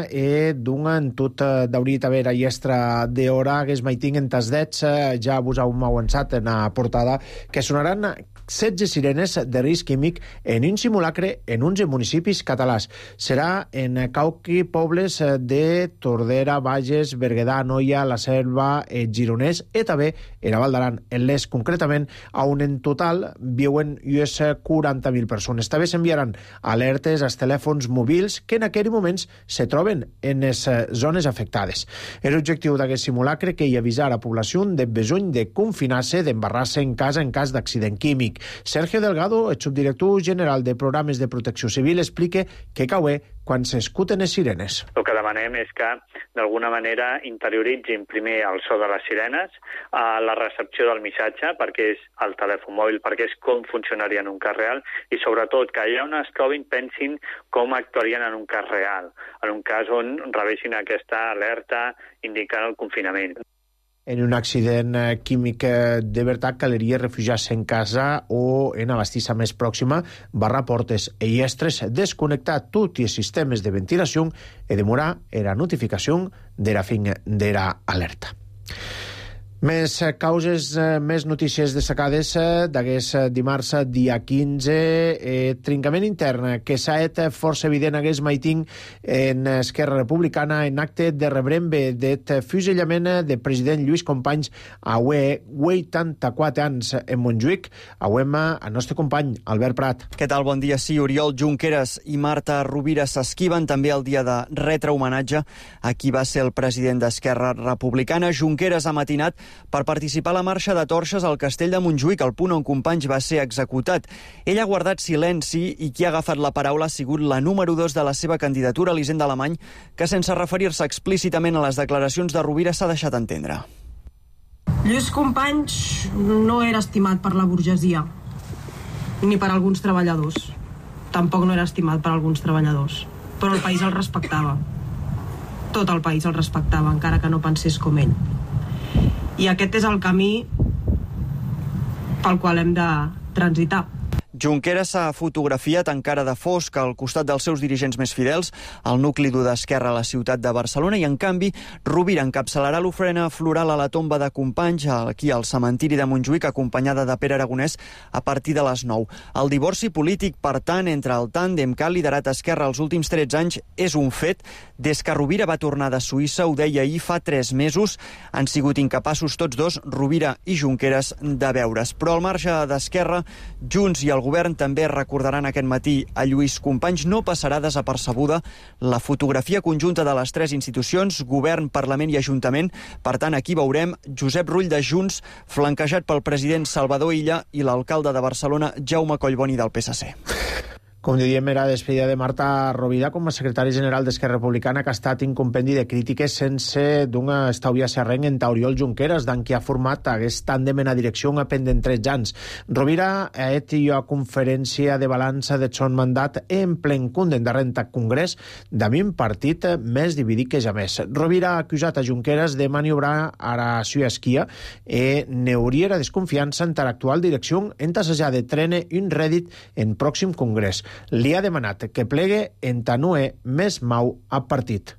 e d'una en tot d'hauria d'haver a llestra d'hora aguest maiting en tas dets ja vos heu avançat en la portada que sonaran setze sirenes de risc químic en un simulacre en onze municipis catalans. Serà en cauqui pobles de Tordera, Bages, Berguedà, Anoia, La Selva, Gironès i també en Val d'Aran. En les, concretament, on en total viuen unes quaranta mil persones. També s'enviaran alertes als telèfons mòbils que en aquells moments se troben en les zones afectades. L'objectiu d'aquest simulacre que hi avisar a la població de besony de confinar-se, d'embarrar-se en casa en cas d'accident químic. Sergio Delgado, el subdirector general de Programes de Protecció Civil, explica què caué quan s'escuten les sirenes. El que demanem és que, d'alguna manera, interioritzin primer el so de les sirenes, a la recepció del missatge, perquè és el telèfon mòbil, perquè és com funcionaria en un cas real, i sobretot que allà on es trobin pensin com actuarien en un cas real, en un cas on rebessin aquesta alerta indicant el confinament. En un accident químic de veritat caldria refugiar-se en casa o en la bastissa més pròxima, barrar portes i llestres, desconnectar tots els sistemes de ventilació i demorar la notificació de la fin de l'alerta. Més causes, més notícies destacades d'aquest dimarts, dia quinze, eh, trencament intern que s'ha fet força evident aquest maiting en Esquerra Republicana en acte de rebrembe del fusellament de president Lluís Companys a vuitanta-quatre anys en Montjuïc. Auem el nostre company Albert Prat. Què tal? Bon dia. Sí, Oriol Junqueras i Marta Rovira s'esquiven també el dia de retre homenatge a qui va ser el president d'Esquerra Republicana. Junqueras ha matinat per participar a la marxa de torxes al castell de Montjuïc, el punt on Companys va ser executat. Ell ha guardat silenci i qui ha agafat la paraula ha sigut la número dos de la seva candidatura, Elisenda Alemany, que sense referir-se explícitament a les declaracions de Rovira s'ha deixat entendre. Lluís Companys no era estimat per la burgesia, ni per alguns treballadors. Tampoc no era estimat per alguns treballadors, però el país el respectava. Tot el país el respectava, encara que no pensés com ell. I aquest és el camí pel qual hem de transitar. Junqueras s'ha fotografiat encara de fosc al costat dels seus dirigents més fidels, al nucli dur d'Esquerra a la ciutat de Barcelona, i en canvi Rovira encapçalarà l'ofrena floral a la tomba de Companys aquí al cementiri de Montjuïc, acompanyada de Pere Aragonès a partir de les nou. El divorci polític, per tant, entre el tàndem que ha liderat Esquerra els últims tretze anys és un fet. Des que Rovira va tornar de Suïssa, ho deia ahir, fa tres mesos, han sigut incapaços tots dos, Rovira i Junqueras, de veure's. Però al marge d'Esquerra, Junts i el govern govern també recordaran aquest matí a Lluís Companys. No passarà desapercebuda la fotografia conjunta de les tres institucions, govern, Parlament i Ajuntament. Per tant, aquí veurem Josep Rull de Junts, flanquejat pel president Salvador Illa i l'alcalde de Barcelona, Jaume Collboni, del P S C. Com diem, era despedida de Marta Rovira com a secretari general d'Esquerra Republicana, que ha estat un compendi de crítiques sense d'un estalviar serrenc en Oriol Junqueras, d'en qui ha format aquest tàndem en la direcció pendent tretze anys. Rovira ha hecho a conferència de balança de son mandat en plen cunden darrere del Congrés d'ami un partit més dividit que ja més. Rovira ha acusat a Junqueras de maniobrar a la seva esquia e n'hauria la desconfiança en l'actual direcció en tassejar de trene un rèdit en pròxim Congrés. Li ha demanat que plegue en tanue més mau a partit.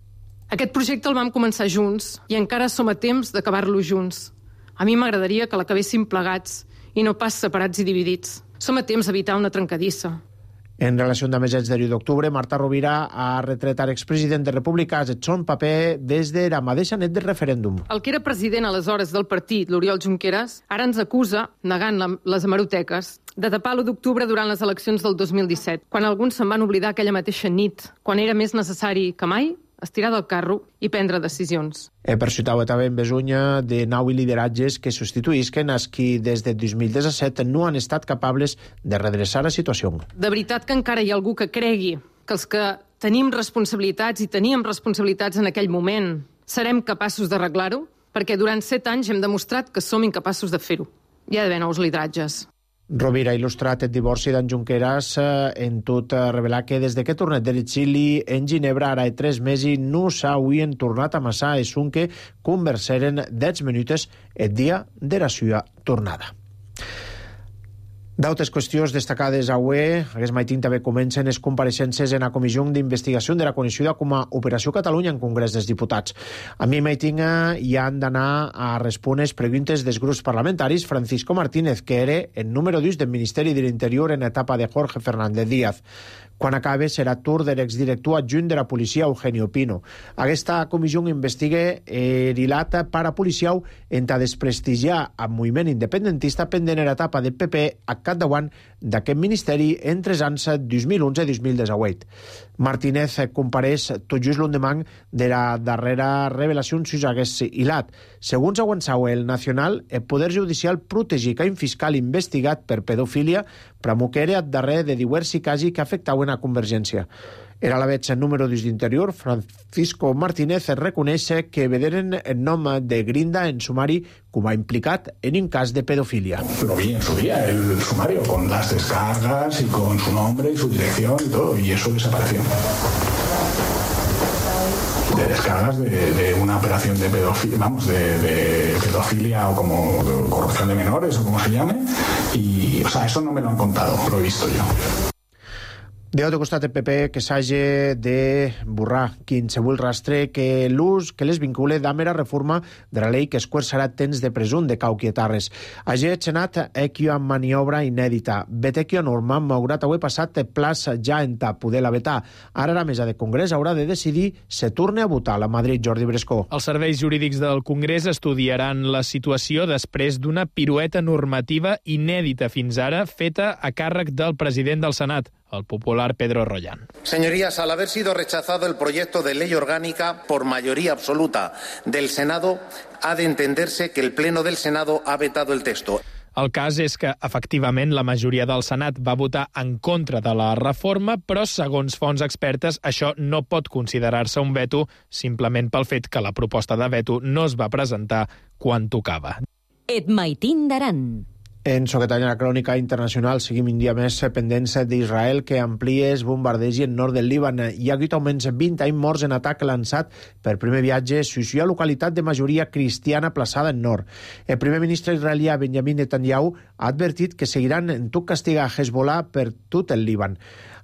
Aquest projecte el vam començar junts i encara som a temps d'acabar-lo junts. A mi m'agradaria que l'acabéssim plegats i no pas separats i dividits. Som a temps d'evitar una trencadissa. En relació amb el deu d'octubre, Marta Rovira ha retret a l'expresident de Republicans el son paper des de la mateixa net del referèndum. El que era president aleshores del partit, l'Oriol Junqueras, ara ens acusa, negant les hemeroteques, de tapar l'u d'octubre durant les eleccions del dos mil disset, quan alguns se'n van oblidar aquella mateixa nit, quan era més necessari que mai estirar del carro i prendre decisions. He percitat també en besunya de nou lideratges que substituïsquen els qui des de dos mil disset no han estat capables de redreçar la situació. De veritat que encara hi ha algú que cregui que els que tenim responsabilitats i teníem responsabilitats en aquell moment serem capaços d'arreglar-ho? Perquè durant set anys hem demostrat que som incapaços de fer-ho. Hi ha d'haver nous lideratges. Rovira ha il·lustrat el divorci d'en Junqueras en tot revelar que des de que tornat de l'exili en Ginebra ara de tres mesos no s'havien tornat a amassar i que conversaren deu minuts el dia de la seva tornada. D'altres qüestions destacades avui, aquest matí també comencen les compareixences en la comissió d'investigació de la coneguda com a Operació Catalunya en Congrés dels Diputats. A mi matí hi han d'anar a respondre les preguntes dels grups parlamentaris. Francisco Martínez, que era el número dos del Ministeri de l'Interior en etapa de Jorge Fernández Díaz. Quan acabe serà tur de l'exdirector adjunt de la policia, Eugenio Pino. Aquesta comissió investiga el hilat parapolicial en a desprestigiar el moviment independentista pendent en etapa de P P a capdavant d'aquest ministeri entre els anys dos mil onze i dos mil disset. Martínez compareix tot just l'endemà de la darrera revelació sobre aquest hilat. Segons avançau el Nacional, el Poder Judicial protegir que un fiscal investigat per pedofília pramuquera darrere de diversi casos que afectaven a Convergència. Era a la vez el número dos d'Interior, Francisco Martínez, reconeix que vederen el nom de Grinda en sumari com a implicat en un cas de pedofilia. Lo vi en su día, el sumario, con las descargas y con su nombre y su dirección y todo, y eso desapareció. De descargas de, de una operación de pedofilia, vamos, de, de pedofilia o como de corrupción de menores o como se llame, y, o sea, eso no me lo han contado, lo he visto yo. De l'altre costat, el P P que s'hagi de borrar qualsevol rastre que l'ús que les vincule d'amera reforma de la llei que esquerçarà temps de presum de Cauquietarres. Hagi el Senat equio amb maniobra inèdita. Vetequio norma, malgrat haver passat plàs ja en ta poder la vetar. Ara la mesa de Congrés haurà de decidir se torne a votar a Madrid. Jordi Brescó. Els serveis jurídics del Congrés estudiaran la situació després d'una pirueta normativa inèdita fins ara feta a càrrec del president del Senat, el popular Pedro Rollán. Señorías, al haber sido rechazado el proyecto de ley orgánica por mayoría absoluta del Senado, ha de entenderse que el Pleno del Senado ha vetado el texto. El cas és que, efectivament, la majoria del Senat va votar en contra de la reforma, però, segons fonts expertes, això no pot considerar-se un veto simplement pel fet que la proposta de veto no es va presentar quan tocava. Et maitin d'aran. En Soquetanya, la crònica internacional, seguim un dia més pendents d'Israel que amplia els bombardeigs en nord del Líban. Hi ha hagut almenys vint anys morts en atac lançat per primer viatge a la localitat de majoria cristiana plaçada en nord. El primer ministre israelià Benjamin Netanyahu ha advertit que seguiran en tot castigar Hezbollah per tot el Líban.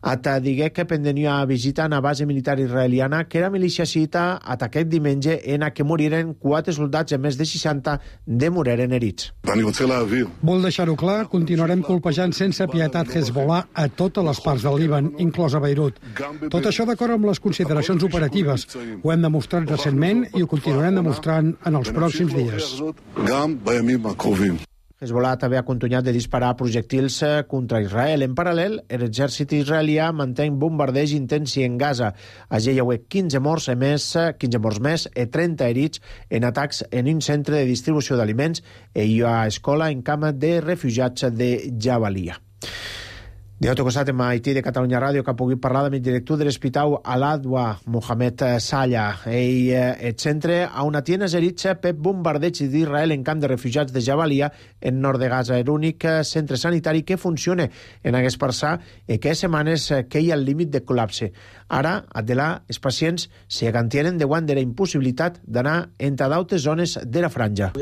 Ata digué que pendenia visita a una base militar israeliana que era milícia xiita atacat diumenge en a què moriren quatre soldats i més de seixanta de moriren herits. Vol deixar-ho clar, continuarem colpejant sense pietat Hezbollah a totes les parts del Líban, inclosa Beirut. Tot això d'acord amb les consideracions operatives. Ho hem demostrat recentment i ho continuarem demostrant en els pròxims dies. Hezbollah també ha continuat de disparar projectils contra Israel. En paral·lel, l'exèrcit israelià manté bombardeig intensi en Gaza. Allí hi ha quinze morts més, quinze morts més i trenta herits en atacs en un centre de distribució d'aliments i hi ha escola en camp de refugiats de Jabalia. D'altre costat, en Haití de Catalunya Ràdio, que ha pogut parlar amb el director de l'Hospital Al-Adwa, Mohamed Salla. Ell et centra a una tiena zeritza per bombardeig d'Israel en camp de refugiats de Jabalia, en nord de Gaza. És l'únic centre sanitari que funciona en aquest parçà i que setmanes que hi ha el límit de col·lapse. Ara, Adela, els pacients se gantienen davant de la impossibilitat d'anar entre d'altres zones de la franja.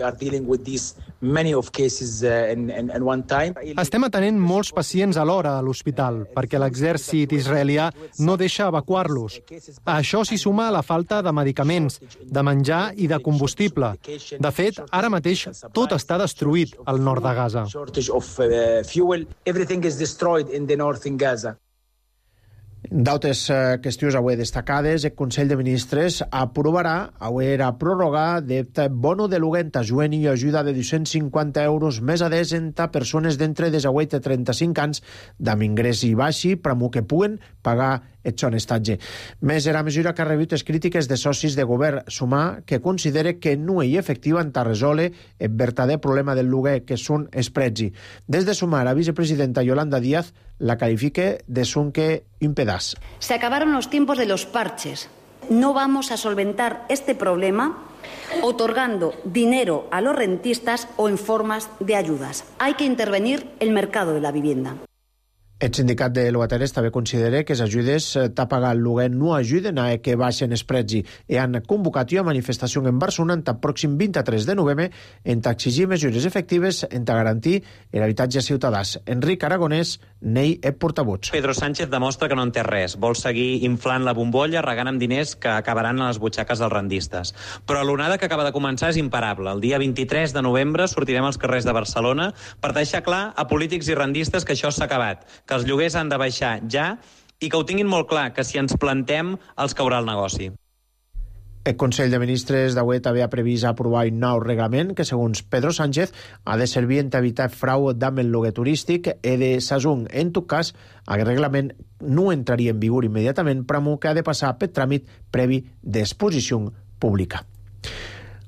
Estem atenent molts pacients alhora a l'hospital, perquè l'exèrcit israelià no deixa evacuar-los. A això s'hi suma la falta de medicaments, de menjar i de combustible. De fet, ara mateix tot està destruït al nord de Gaza. D'altres qüestions avui destacades, el Consell de Ministres aprovarà avui a prorrogar de bono de luguent ajut i ajuda de dos-cents cinquanta euros més a desenta persones d'entre desahuet i trenta-cinc anys d'am ingrés i baixi per que puguen pagar el son estatge. Més era mesura que ha rebut les crítiques de socis de govern sumar que considera que no hi efectiva en resoldre el verdader problema del lloguer, que són els prezzi. Des de sumar, la vicepresidenta Yolanda Díaz la califique de sunque un pedaç. Se acabaron los tiempos de los parches. No vamos a solventar este problema otorgando dinero a los rentistas o en formas de ayudas. Hay que intervenir el mercado de la vivienda. El sindicat de llogateres també considera que les ajudes a pagar el lloguer no ajuden a que baixen els prezzi i han convocat una manifestació en Barcelona el pròxim vint-i-tres de novembre en exigir mesures efectives en garantir l'habitatge ciutadans. Enric Aragonès n'ell és portavoz. Pedro Sánchez demostra que no en té res. Vol seguir inflant la bombolla, regant amb diners que acabaran a les butxaques dels rendistes. Però l'onada que acaba de començar és imparable. El dia vint-i-tres de novembre sortirem als carrers de Barcelona per deixar clar a polítics i rendistes que això s'ha acabat, que els lloguers han de baixar ja i que ho tinguin molt clar, que si ens plantem els caurà el negoci. El Consell de Ministres d'avui també ha previst aprovar un nou reglament que, segons Pedro Sánchez, ha de servir per evitar frau amb el lloguer turístic i de Sasung. En tot cas, aquest reglament no entraria en vigor immediatament, però que ha de passar per tràmit previ d'exposició pública.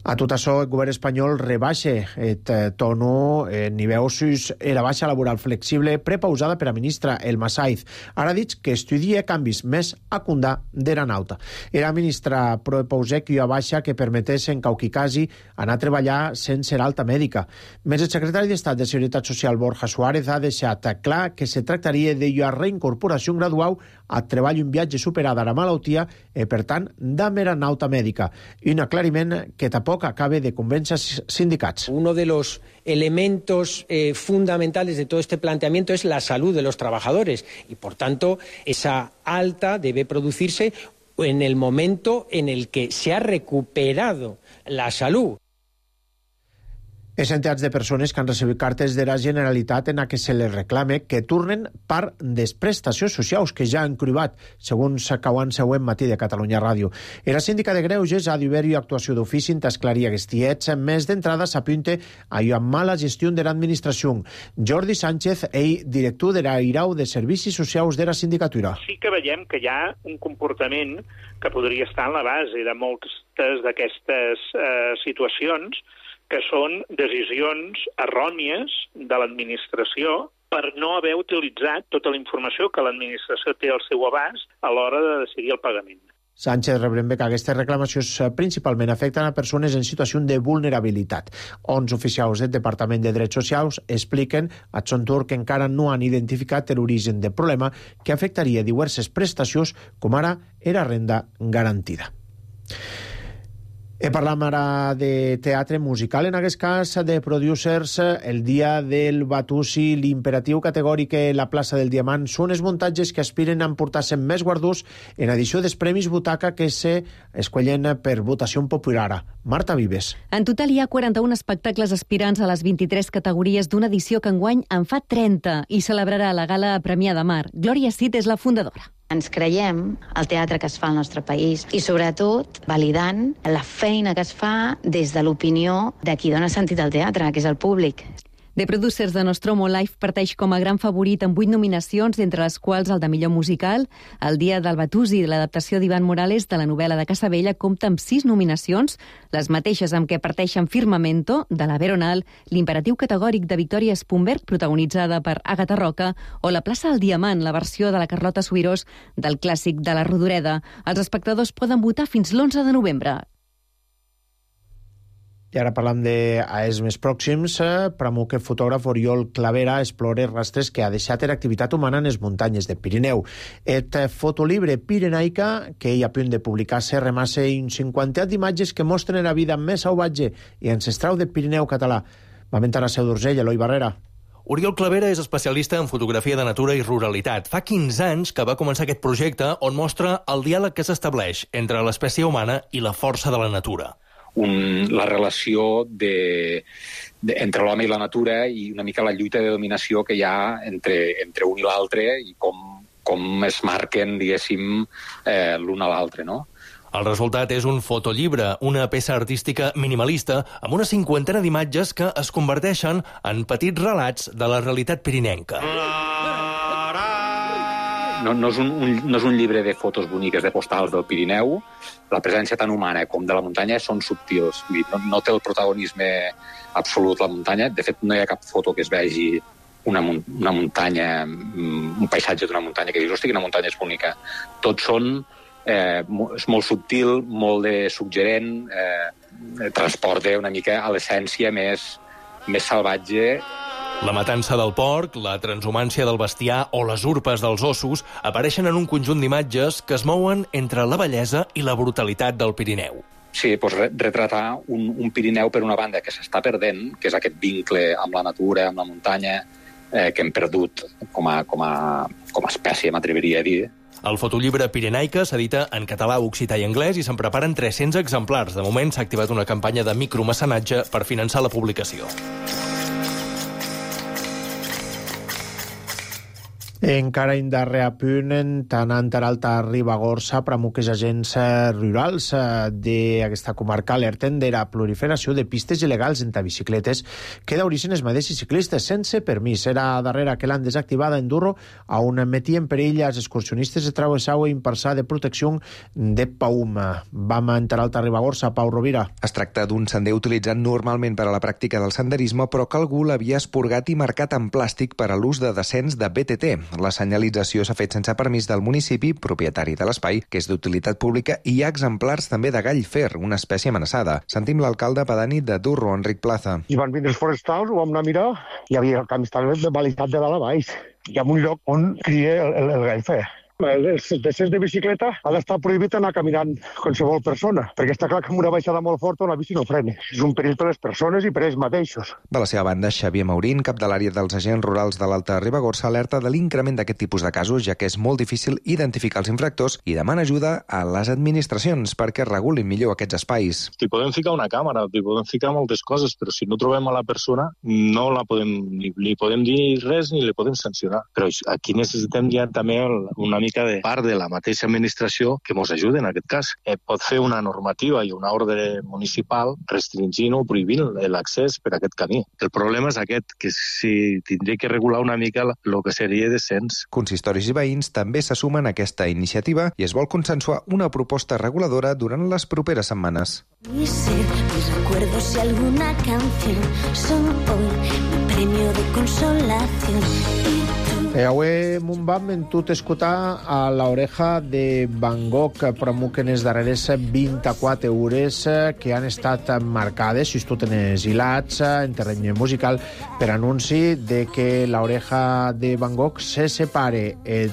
A tot això, el govern espanyol rebaixa el tono en nivell sus i la baixa laboral flexible prepausada per a ministra Elma Saiz. Ara ha dit que estudia canvis més a Condà d'Eranauta. Era ministra propausà que hi ha baixa que permetés en qualsevol anar a treballar sense l'alta mèdica. Més el secretari d'Estat de Seguretat Social Borja Suárez ha deixat clar que se tractaria de la reincorporació gradual a treball un viatge superada la malaltia i, per tant, d'am Eranauta mèdica. Un aclariment que tampoc acabe de convencer sindicats. Uno de los elementos eh, fundamentales de todo este planteamiento es la salud de los trabajadores y, por tanto, esa alta debe producirse en el momento en el que se ha recuperado la salud. Les entitats de persones que han recibit cartes de la Generalitat en què se les reclame que tornen part de les prestacions socials que ja han cribat, segons Cauan Següent Matí de Catalunya Ràdio. I la síndica de Greuges ha d'haver-hi actuació d'ofici en esclarir aquests tiets. Més d'entrada s'apunta a una mala gestió de l'administració. Jordi Sánchez, ell, director de l'Airau de Servicis Socials de la Sindicatura. Sí que veiem que hi ha un comportament que podria estar en la base de moltes d'aquestes eh, situacions, que són decisions errònies de l'administració per no haver utilitzat tota la informació que l'administració té al seu abast a l'hora de decidir el pagament. Sánchez rebrembe que aquestes reclamacions principalment afecten a persones en situació de vulnerabilitat. Onze oficials del Departament de Drets Socials expliquen a Xontur que encara no han identificat l'origen del problema que afectaria diverses prestacions, com ara era renda garantida. E parlam ara de teatre musical, en aquest cas de producers. El dia del Batusi, l'imperatiu categòric a la plaça del Diamant són els muntatges que aspiren a emportar-se més guardons en edició dels Premis Butaca que se escollen per votació popular. Marta Vives. En total hi ha quaranta-un espectacles aspirants a les vint-i-tres categories d'una edició que enguany en fa trenta i celebrarà la gala Premià de Mar. Glòria Cid és la fundadora. Ens creiem el teatre que es fa al nostre país i, sobretot, validant la feina que es fa des de l'opinió de qui dona sentit al teatre, que és el públic. The Producers de Nostromo Live parteix com a gran favorit amb vuit nominacions, entre les quals el de millor musical. El Dia del Batusi, de l'adaptació d'Ivan Morales de la novel·la de Casabella, compta amb sis nominacions, les mateixes amb què parteixen Firmamento, de la Veronal, L'imperatiu categòric de Victòria Spunberg, protagonitzada per Àgata Roca, o La plaça del Diamant, la versió de la Carlota Subirós del clàssic de la Rodoreda. Els espectadors poden votar fins l'onze de novembre. I ara parlant d'AES més pròxims, Pramuc, fotògraf Oriol Clavera explora rastres que ha deixat l'activitat humana en les muntanyes del Pirineu. Et fotolibre pirenaica, que hi ha a punt de publicar-se, remassa un cinquantet d'imatges que mostren la vida més salvatge i ancestral del Pirineu català. Va mentar a Seu d'Urgell, Eloi Barrera. Oriol Clavera és especialista en fotografia de natura i ruralitat. Fa quinze anys que va començar aquest projecte on mostra el diàleg que s'estableix entre l'espècie humana i la força de la natura. Un, la relació de, de, entre l'home i la natura i una mica la lluita de dominació que hi ha entre, entre un i l'altre i com, com es marquen, diguéssim, eh, l'un a l'altre, no? El resultat és un fotollibre, una peça artística minimalista amb una cinquantena d'imatges que es converteixen en petits relats de la realitat pirinenca. No, no, és un, un, no és un llibre de fotos boniques, de postals del Pirineu. La presència tant humana com de la muntanya són subtils. No, no té el protagonisme absolut la muntanya. De fet, no hi ha cap foto que es vegi una, una muntanya, un paisatge d'una muntanya que dius, hosti, quina muntanya és bonica. Tots són, eh, és molt subtil, molt de suggerent, eh, transporta una mica a l'essència més, més salvatge. La matança del porc, la transhumància del bestiar o les urpes dels ossos apareixen en un conjunt d'imatges que es mouen entre la bellesa i la brutalitat del Pirineu. Sí, doncs retratar un, un Pirineu per una banda que s'està perdent, que és aquest vincle amb la natura, amb la muntanya, eh, que hem perdut com a, com a, com a espècie, m'atreviria a dir. El fotollibre Pirenaica s'edita en català, occità i anglès i se'n preparen tres-cents exemplars. De moment s'ha activat una campanya de micromecenatge per finançar la publicació. Encara en darrer apunt, Tanant Alta Ribagorça, Pramuc és agents rurals d'aquesta comarca alerten de la proliferació de pistes il·legals entre bicicletes que d'origen es mateixos ciclistes sense permís. Era darrere que l'han desactivada en Durro a on metien perill als excursionistes de travessau i impersar de protecció de Paum. Vam a Tanant Ribagorça, Pau Rovira. Es tracta d'un sender utilitzat normalment per a la pràctica del senderisme, però que algú l'havia esporgat i marcat en plàstic per a l'ús de descens de B T T. La senyalització s'ha fet sense permís del municipi, propietari de l'espai, que és d'utilitat pública, i hi ha exemplars també de gall fer, una espècie amenaçada. Sentim l'alcalde pedani de Durro, Enric Plaza. I van vindre els forestals, ho vam anar a mirar, i hi havia el camí estava balistat de dalt a baix. Hi ha un lloc on cria el, el, el gall fer. Els descens de bicicleta ha d'estar prohibit anar caminant qualsevol persona, perquè està clar que amb una baixada molt forta una bici no frena. És un perill per les persones i per ells mateixos. De la seva banda, Xavier Maurín, cap de l'àrea dels agents rurals de l'Alta Ribagorça, alerta de l'increment d'aquest tipus de casos, ja que és molt difícil identificar els infractors i demana ajuda a les administracions perquè regulin millor aquests espais. T'hi podem ficar una càmera, t'hi podem ficar moltes coses, però si no trobem a la persona no la podem, ni, ni podem dir res ni li podem sancionar. Però aquí necessitem ja també una mica de part de la mateixa administració que ens ajuden en aquest cas. Eh, pot fer una normativa i una ordre municipal restringint o prohibint l'accés per a aquest camí. El problema és aquest, que si tindria que regular una mica el que seria descens. Consistoris i veïns també se sumen a aquesta iniciativa i es vol consensuar una proposta reguladora durant les properes setmanes. Mi ser, mis recuerdos y alguna canción son hoy mi premio de consolación. Y Eh, avui m'ho vam mentut escoltar a l'oreja de Van Gogh, Pramuc en les darreres vint-i-quatre hores que han estat marcades, si tu tens hilats, en terreny musical, per anunci de que l'oreja de Van Gogh se separe el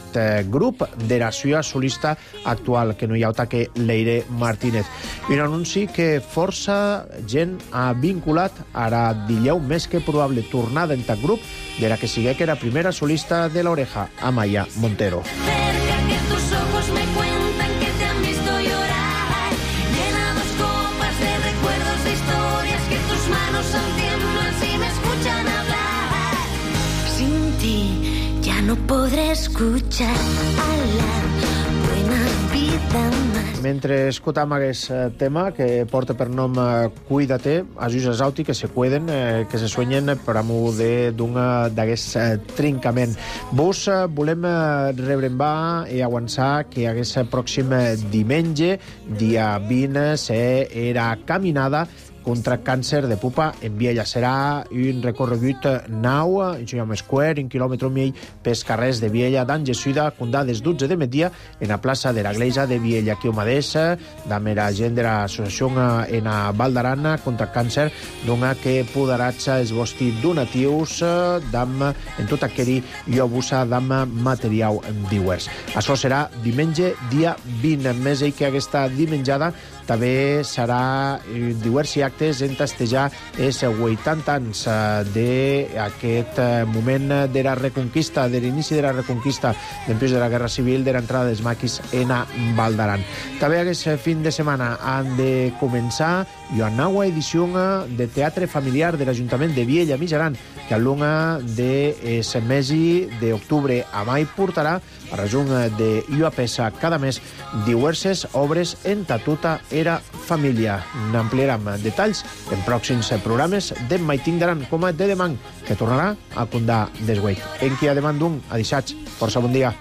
grup de la seva solista actual, que no hi ha altra que Leire Martínez. I un anunci que força gent ha vinculat ara dileu més que probable tornada en tal grup de la que sigue que era primera solista de la oreja, Amaya Montero. cerca que tus ojos me cuentan que te han visto llorar, llenados copas de recuerdos, de historias que tus manos al tiemblan si me escuchan hablar. Sin ti ya no podré escuchar a la buena vida. Mentre escutam aquest tema que porta per nom Cuida-te, ajus exauti que se cuiden, eh, que se suenyen per amor d'aquest eh, trincament. Vos eh, volem eh, rebrembar i avançar que aquest pròxim diumenge, dia vint, serà caminada contra càncer de pupa en Viella. Serà un recorregut nau, en Square, un quilòmetre i mig pels carrers de Viella, d'Angesuida, condà des dotze de migdia en la plaça de la Glesia de Viella. Aquí ho mateix, amb la gent de l'associació en a Val d'Aran contra càncer, dona que poderats els vostres donatius d'am, en tot aquell llobús d'am material divers. Això serà diumenge, dia vint. Més ell que aquesta dimenjada també serà diversos actes en testejar els vuitanta anys d'aquest moment de la reconquista, de l'inici de la reconquista després de la Guerra Civil, de l'entrada dels maquis en a Val d'Aran. També aquest fin de setmana han de començar una nova edició de teatre familiar de l'Ajuntament de Viella Mitjaran, que a l'una del mes d'octubre a mai portarà a resum de ua peça cada mes diverses obres en tota era família. N'ampliarem detalls en pròxims programes de Maitín d'Aran, com a de demà, que tornarà a condar desgueit. En qui a demà d'un, a dissats. Força bon dia.